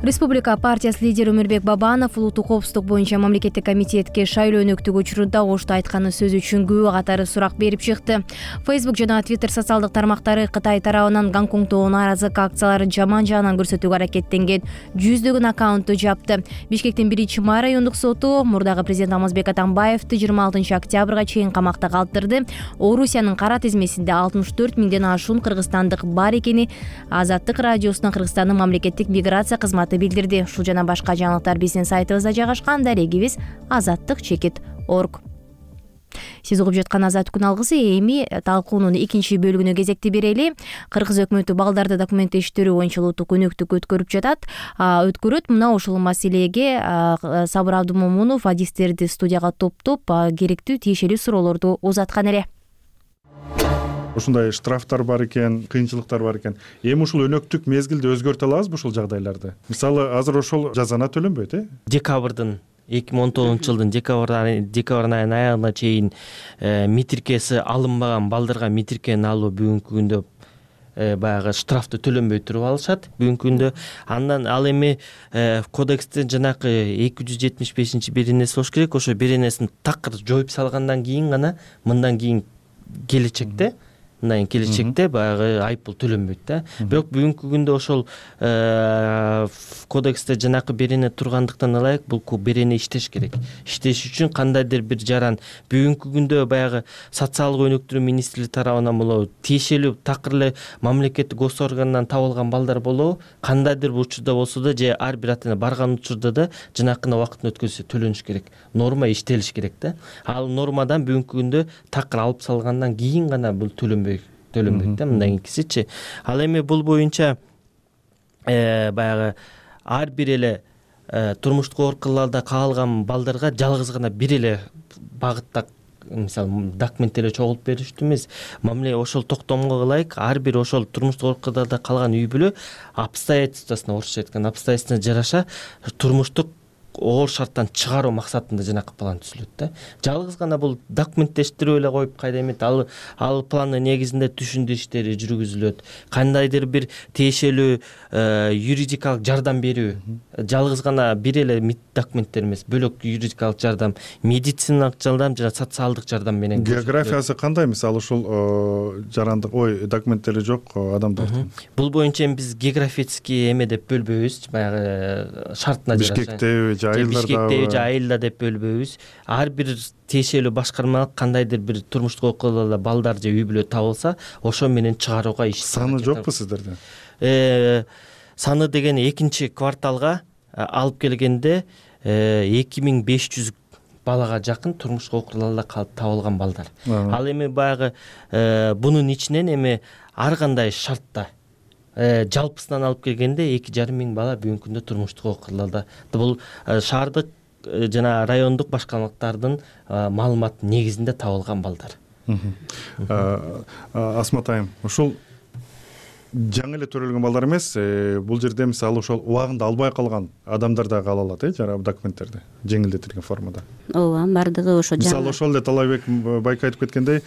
Республика партиясы лидери Өмүрбек Бабанов улуттук коопсуздук боюнча мамлекеттик комитетке шайлоо өнөктүгү учурунда ошто айтканы сөзү үчүн күбө катары сурак берип чыкты. Facebook жана Twitter социалдык тармактары Кытай тарабынан Гонконгдогу нааразылык акцияларын жаман жагынан көрсөтүүгө аракеттенген жүздөгөн аккаунтту жапты. Бишкектин биринчи май райондук соту мурдагы президент Алмазбек Атамбаевди жыйырма алтынчы октябрга чейин камакта калтырды. Орусиянын кара тизмесинде алтымыш төрт миңден ашуун кыргызстандык бар экени Азаттык радиосунун Кыргызстандын мамлекеттик миграция кызматы билдирди. Ушул жана башка жаңылыктар биздин сайтыбызда жайгашкан. Дарегибиз азаттык чекит орг. Сиз угуп жаткан Азат күн алгысы. Эми талкуунун экинчи бөлүгүнө кезекти берели. Кыргыз өкмөтү балдарды документтештирүү боюнча улуттук өнөктүк өткөрүп жатат. Өткөрөт. Мына ушул маселеге Сабыр Абдымомунов адистерди студияга топтоп керектүү тиешелүү суроолорду узаткан эле. Ушундай штрафтар бар экен, кыйынчылыктар бар экен. Эми ушул өнөктүк мезгилди өзгөртө алабызбы ушул жагдайларды? Мисалы, азыр ошол жазана төлөнбөйт, э? Декабрдын эки миң он тогузунчу жылдын декабрь айынын аягына чейин метрикеси алынбаган балдарга метрикени алуу бүгүнкү күндө баягы штрафты төлөнбөй туруп алышат бүгүнкү күндө. Андан ал эми кодекстин жанакы эки жүз жетимиш бешинчи бир энеси болуш керек. Ошо бир энесин такыр жоюп салгандан кийин гана мындан кийин келечекте мындан кийин келечекте баягы айыппул төлөнбөйт да. Бирок бүгүнкү күндө ошол кодексте жанакы берене тургандыктан ылайык бул берене иштеш керек. Иштеш үчүн кандайдыр бир жаран бүгүнкү күндө баягы социалдык өнүктүрүү министрлиги тарабынан болобу, тиешелүү такыр эле мамлекеттик гос органдан табылган балдар болобу, кандайдыр бир учурда болсо да же ар бир ата эне барган учурда да жанакына убактын өткөзүшү төлөнүш керек. Норма иштелиш керек да. Ал нормадан бүгүнкү күндө такыр алып салгандан кийин гана бул төлөнбөй төлөнбөйт да, мындан кийинкисичи. Ал эми бул боюнча баягы ар бир эле турмуштук оор каалган балдарга жалгыз гана бир эле багытта мисалы документ эле чогултуп бериштүү эмес. Мамиле ошол токтомго ылайык ар бир ошол турмуштук оор калган үй бүлө обстоятельствосуна, орусча айтканда обстоятельствосуна жараша турмуштук оор шарттан чыгаруу максатында жанакы план түзүлөт да. Жалгыз гана бул документтештирип эле коюп кайда эмет, ал ал пландын негизинде түшүндүрүү иштери жүргүзүлөт. Кандайдыр бир тиешелүү юридикалык жардам берүү, жалгыз гана бир эле документтер эмес, бөлөк юридикалык жардам, медициналык жардам жана социалдык жардам менен. Географиясы кандай? Мисалы ушул жарандык, ой, документтери жок адамдардын. Бул боюнча биз географический эме деп бөлбөйбүз, баягы шартына жараша. Бишкектеби, Бишкектеби же айылда деп бөлбөйбүз. Ар бир тиешелүү башкармалык кандайдыр бир турмуштук окуяларда балдар же үй бүлө табылса, ошо менен чыгарууга иш. Саны жокпу сиздерде? Саны деген экинчи кварталга алып келгенде эки миң беш жүз балага жакын турмуштук окуяларда калып табылган балдар. Ал эми баягы бунун ичинен эми ар кандай шартта жалпысынан алып келгенде эки жарым миң бала бүгүнкү күндө турмуштук окуяларда. Бул шаардык жана райондук башкармалыктардын маалыматы негизинде табылган балдар. Асмат айым, ушул жаңы эле төрөлгөн балдар эмес, бул жерде мисалы ошол убагында албай калган адамдар да ала алат, э, жарабы документтерди жеңилдетилген формада. Ооба, бардыгы ошо жаңы. Мисалы ошол эле Талайбек байке айтып кеткендей,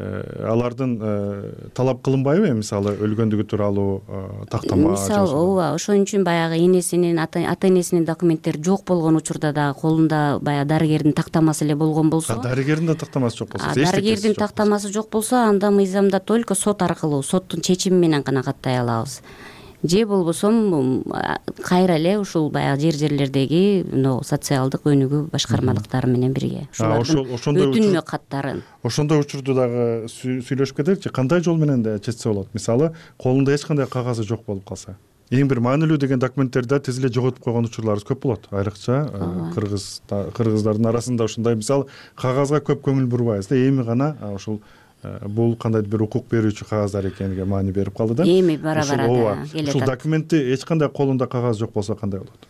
алардын талап кылынбайбы, мисалы өлгөндүгү тууралуу тактама? Мисалы, ооба, ошон үчүн баягы энесинин, ата энесинин документтери жок болгон учурда да колунда баягы дарыгердин тактамасы эле болгон болсо. Дарыгердин да тактамасы жок болсо, дарыгердин тактамасы жок болсо, анда мыйзамда только сот аркылуу, соттун чечими менен гана каттай алабыз. Же болбосо кайра эле ушул баягы жер жерлердеги социалдык өнүгүү башкармалыктары менен бирге ушулардын өтүнмө каттарын. Ошондой учурду дагы сүйлөшүп кетеличи, кандай жол менен да чечсе болот? Мисалы, колунда эч кандай кагазы жок болуп калса. Эң бир маанилүү деген документтерди тез эле жоготуп койгон учурларыбыз көп болот. Айрыкча кыргыз кыргыздардын арасында ушундай, мисалы, кагазга көп көңүл бурбайбыз да, эми гана ушул бул кандайдыр бир укук берүүчү кагаздар экениге маани берип калды да. Эми бара-бара келе атат. Ушул документти эч кандай колунда кагаз жок болсо кандай болот?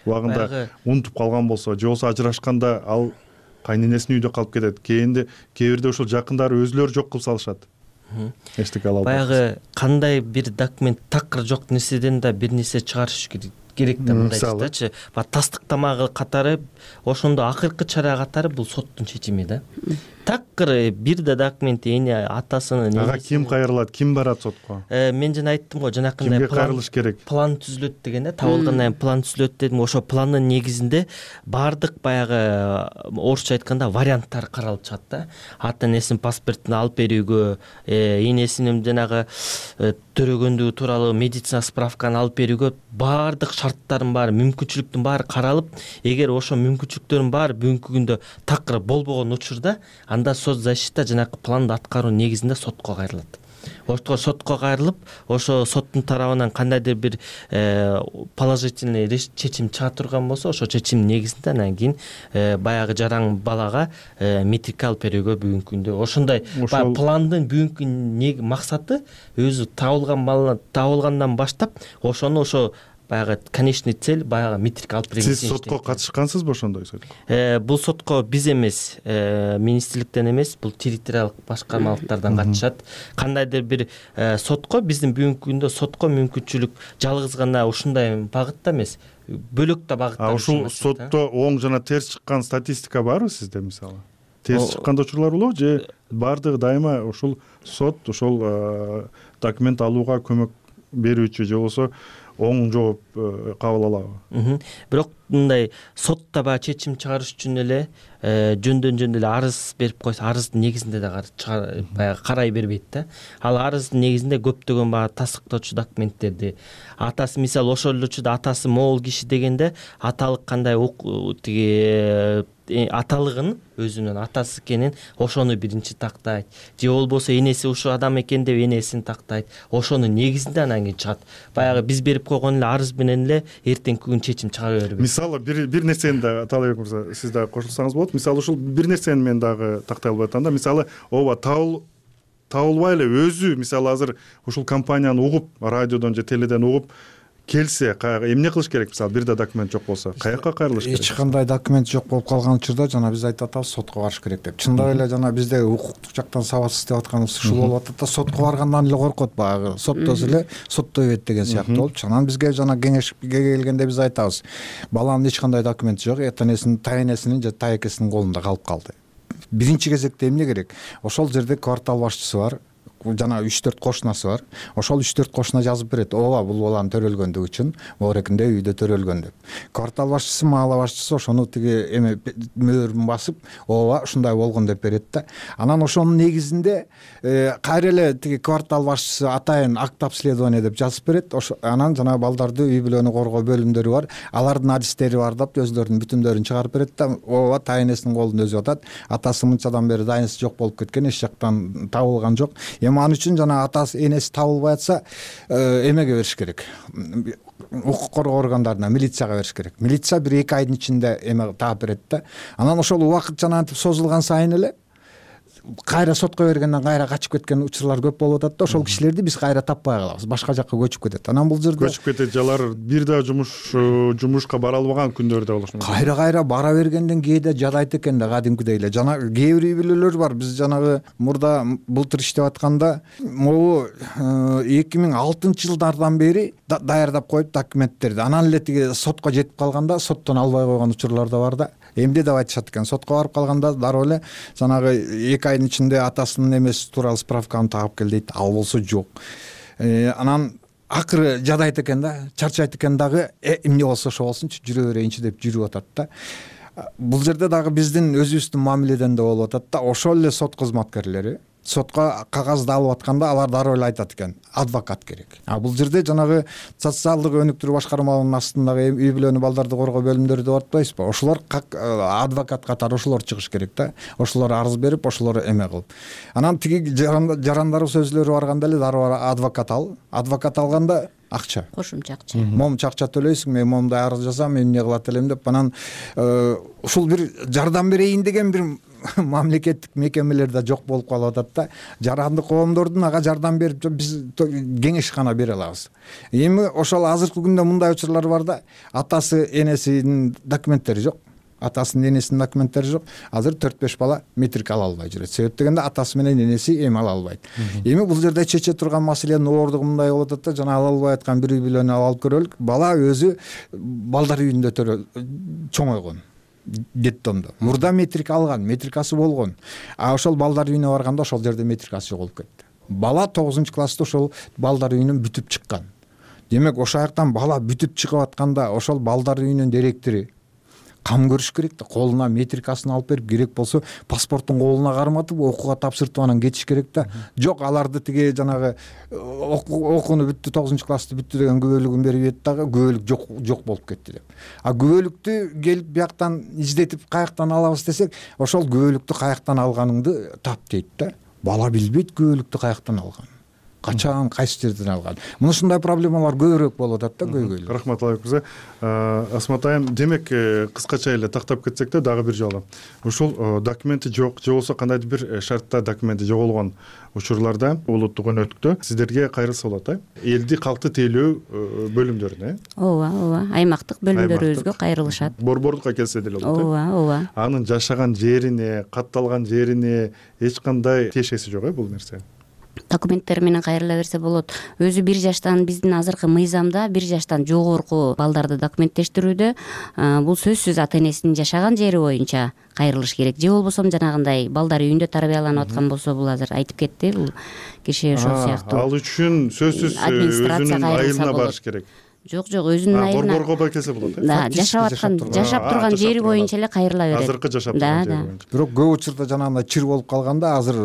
Убагында унутуп калган болсо, же болбосо ажырашканда ал кайненесинин үйдө калып кетет. Кийинде кээ бирде ушул жакындары өзүлөрү жок кылып салышат. Эчтеке ала албайт. Баягы кандай бир документ такыр жок нерседен да бир нерсе чыгарыш керек. керек да мындайчы. Ба тастыктамагы катары ошондо акыркы чара катары бул соттун чечими да. Такыр бир да документ эне атасынын ага ким кайрылат, ким барат сотко? Мен жана айттым го, жанакындай план план түзүлөт деген да, табылгандан кийин план түзүлөт дедим. Ошо пландын негизинде бардык баягы орусча айтканда варианттар каралып чыгат да. Ата энесинин паспортун алып берүүгө, энесинин жанагы төрөгөндүгү тууралуу медицина справканы алып берүүгө бардык шарттардын баары, мүмкүнчүлүктүн баары каралып, эгер ошо мүмкүнчүлүктөрдүн баары бүгүнкү күндө такыр болбогон учурда, анда соцзащита жанакы планды аткаруу негизинде сотко кайрылат. Ошто сотко кайрылып, ошо соттун тарабынан кандайдыр бир положительный чечим чыга турган болсо, ошо чечим негизинде анан кийин баягы жаран балага метрика алып берүүгө бүгүнкү күндө ошондой пландын бүгүнкү максаты өзү табылган бала табылгандан баштап ошону ошо баягы конечный цель баягы метрика алып берген. Сиз сотко катышкансызбы ошондой сотко? Бул сотко биз эмес, министрликтен эмес, бул территориалдык башкармалыктардан катышат. Кандайдыр бир сотко, биздин бүгүнкү күндө сотко мүмкүнчүлүк жалгыз гана ушундай багытта эмес, бөлөк да багыттар. А ушул сотто оң жана терс чыккан статистика барбы сизде мисалы? Терс чыккан учурлар болобу же бардыгы дайыма ушул сот ошол документ алууга көмөк берүүчү же болбосо оң жооп кабыл алабы? Бирок мындай сотто баягы чечим чыгарыш үчүн эле жөндөн жөн эле арыз берип койсо, арыздын негизинде да баягы карай бербейт да. Ал арыздын негизинде көптөгөн баягы тастыктоочу документтерди, атасы мисалы ошол эле учурда атасы могул киши дегенде аталык кандай тиги аталыгын өзүнүн атасы экенин ошону биринчи тактайт, же болбосо энеси ушул адам экен деп энесин тактайт. Ошонун негизинде анан кийин чыгат. Баягы биз берип койгон эле арыз менен эле эртеңки күн чечим чыгара бербейт. Мисалы бир бир нерсени да Таалайбек мырза, сиз дагы кошулсаңыз болот. Мисалы ушул бир нерсени мен дагы тактай албай атам да. Мисалы ооба табыл табылбай эле өзү мисалы азыр ушул компанияны угуп, радиодон же теледен угуп келсе, эмне кылыш керек? Мисалы бир да документ жок болсо, каяка кайрылыш керек? Эч кандай документ жок болуп калган учурда жана биз айтып атабыз сотко барыш керек деп. Чындап эле жана бизде укуктук жактан сабатсыз деп атканыбыз ушул болуп атат да, сотко баргандан эле коркот, баягы соттосо эле соттой берет деген сыяктуу болуп. Анан бизге жана кеңешке келгенде биз айтабыз, баланын эч кандай документи жок, этенесинин, тайэнесинин же тайэкесинин колунда калып калды. Биринчи кезекте эмне керек? Ошол жерде квартал башчысы бар, жана үч төрт кошунасы бар. Ошол үч төрт кошуна жазып берет. Ооба, бул баланын төрөлгөндүгү үчүн моорекинде үйдө төрөлгөн деп. Квартал башчысы, маала башчысы ошону тиги эме мөөрүн басып, ооба, ушундай болгон деп берет да. Анан ошонун негизинде кайра эле тиги квартал башчысы атайын акт обследование деп жазып берет. Анан жана балдарды үй бүлөнү коргоо бөлүмдөрү бар. Алардын адистери бар деп өздөрүнүн бүтүмдөрүн чыгарып берет да. Ооба, тайэнесинин колунда өзү атат. Атасы мынчадан бери дайынысы жок болуп кеткен, эч жактан табылган жок. Эми ал үчүн жана атасы, энеси табылбай атса, эмеге бериш керек. Укук коргоо органдарына, милицияга бериш керек. Милиция бир эки айдын ичинде эме таап берет да. Анан ошол убакыт жанагынтип созулган сайын эле кайра сотко бергенден кайра качып кеткен учурлар көп болуп атат да. Ошол кишилерди биз кайра таппай калабыз, башка жакка көчүп кетет. Анан бул жерде көчүп кетет, жалар бир да жумуш жумушка бара албаган күндөр да болушу мүмкүн. Кайра кайра бара бергенден кээде жадайт экен да, кадимкидей эле. Жана кээ бир үй бүлөлөр бар. Биз жанагы мурда былтыр иштеп атканда могу эки миң алтынчы жылдардан бери даярдап коюп документтерди. Анан эле тиги сотко жетип калганда соттон албай койгон учурлар да бар да. Эмне деп айтышат экен? Сотко барып калганда дароо эле жанагы эки айдын ичинде атасынын эмеси тууралуу справканы таап кел дейт. Ал болсо жок. Анан акыры жадайт экен да, чарчайт экен дагы, эмне болсо ошо болсунчу, жүрө берейинчи деп жүрүп атат да. Бул жерде дагы биздин өзүбүздүн мамиледен да болуп атат да. Ошол эле сот кызматкерлери сотко кагазды алып атканда алар дароо эле айтат экен, адвокат керек. А бул жерде жанагы социалдык өнүктүрүү башкармалыгынын астындагы үй бүлөнү, балдарды коргоо бөлүмдөрү деп атпайсызбы? Ошолор как адвокат катары ошолор чыгыш керек да. Ошолор арыз берип, ошолор эме кылып. Анан тиги жарандарыбыз өзүлөрү барганда эле дароо адвокат ал. Адвокат алганда акча, кошумча акча, момча акча төлөйсүң, мен момундай арыз жазам, мен эмне кылат элем деп. Анан ушул бир жардам берейин деген бир мамлекеттик мекемелер да жок болуп калып атат да. Жарандык коомдордун ага жардам берип биз кеңеш гана бере алабыз. Эми ошол азыркы күндө мындай учурлар бар да, атасы, энесинин документтери жок. Атасынын, энесинин документтери жок. Азыр төрт беш бала метрик ала албай жүрөт. Себеп дегенде атасы менен энеси эми ала албайт. Эми бул жерде чече турган маселенин оордугу мындай болуп атат да, жана ала албай аткан бир үй бүлөнү алып көрөлүк. Бала өзү балдар үйүндө чоңойгон. Детдомдо. Мурда метрик алган, метрикасы болгон. А ошол балдар үйүнө барганда ошол жерде метрикасы жок болуп кетти. Бала тогузунчу класста ошол балдар үйүнөн бүтүп чыккан. Демек ошол жактан бала бүтүп чыгып атканда ошол балдар үйүнүн директори кам көрүш керек да, колуна метрикасын алып берип, керек болсо паспорттун колуна карматып окууга тапшыртып анан кетиш керек да. Жок, аларды тиги жанагы окууну бүттү, тогузунчу классты бүттү деген күбөлүгүн берип ийет дагы, күбөлүк жок жок болуп кетти деп. А күбөлүктү келип бияктан издетип каяктан алабыз десек, ошол күбөлүктү каяктан алганыңды тап дейт да. Бала билбейт күбөлүктү каяктан алганын, качан, кайсы жерден алган. Мына ушундай проблемалар көбүрөөк болуп атат да, көйгөйлүү. Рахмат Таалайбек мырза. Асмат айым, демек кыскача эле тактап кетсек да дагы бир жолу. Ушул документи жок, же болбосо кандайдыр бир шартта документи жоголгон учурларда улуттук өнөктүктө сиздерге кайрылса болот, э? Элди калкты тейлөө бөлүмдөрүнө, э? Ооба, ооба. Аймактык бөлүмдөрүбүзгө кайрылышат. Борбордукка келсе деле болот, э? Ооба, ооба. Анын жашаган жерине, катталган жерине эч кандай тиешеси жок, э, бул нерсе? Документтер менен кайрыла берсе болот. Өзү бир жаштан, биздин азыркы мыйзамда бир жаштан жогорку балдарды документтештирүүдө бул сөзсүз ата энесинин жашаган жери боюнча кайрылыш керек. Же болбосо жанагындай балдар үйүндө тарбияланып аткан болсо, бул азыр айтып кетти, бул киши ошол сыяктуу. Ал үчүн сөзсүз өзүнүн айылына барыш керек. жок жок өзүнүн айылына борборго байкесе болот э да жашап аткан жашап турган жери боюнча эле кайрыла берет азыркы жашап турган жери боюнча бирок көп учурда жанагындай чыр болуп калганда азыр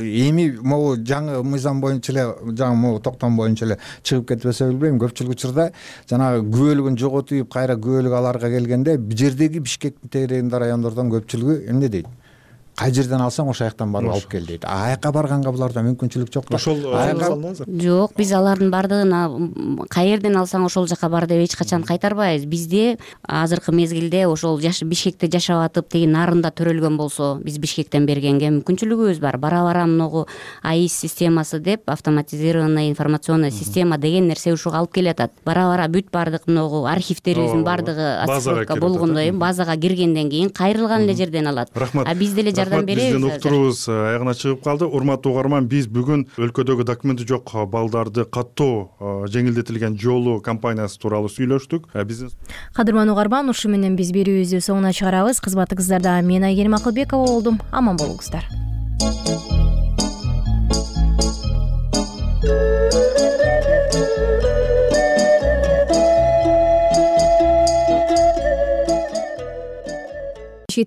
эми могу жаңы мыйзам боюнча эле жаңы могу токтом боюнча эле чыгып кетпесе билбейм көпчүлүк учурда жанагы күбөлүгүн жоготуп кайра күбөлүк аларга келгенде бул жердеги Бишкектин тегерегинде райондордон көпчүлүгү эмне дейт кай жерден алсаң ошол жактан барып алып кел дейт аяка барганга буларда мүмкүнчүлүк жок да ошол жок биз алардын баардыгын кай жерден алсаң ошол жака бар деп эч качан кайтарбайбыз бизде азыркы мезгилде ошол Бишкекте жашап атып тиги нарында төрөлгөн болсо биз Бишкектен бергенге мүмкүнчүлүгүбүз бар бара бара могу АИС системасы деп автоматизированная информационная система деген нерсе ушуга алып келатат бара бара бүт баардык могу архивтерибиздин баардыгы оцифровка болгондой базага киргенден кийин кайрылган эле жерден алат рахмат а биз деле биздин уктуруубуз аягына чыгып калды урматтуу угарман биз бүгүн өлкөдөгү документи жок балдарды каттоо жеңилдетилген жолу компаниясы тууралуу сүйлөштүк биздин кадырман угарман ушу менен биз берүүбүздү соңуна чыгарабыз кызматыңыздарда мен Айгерим Акылбекова болдум аман болуңуздар.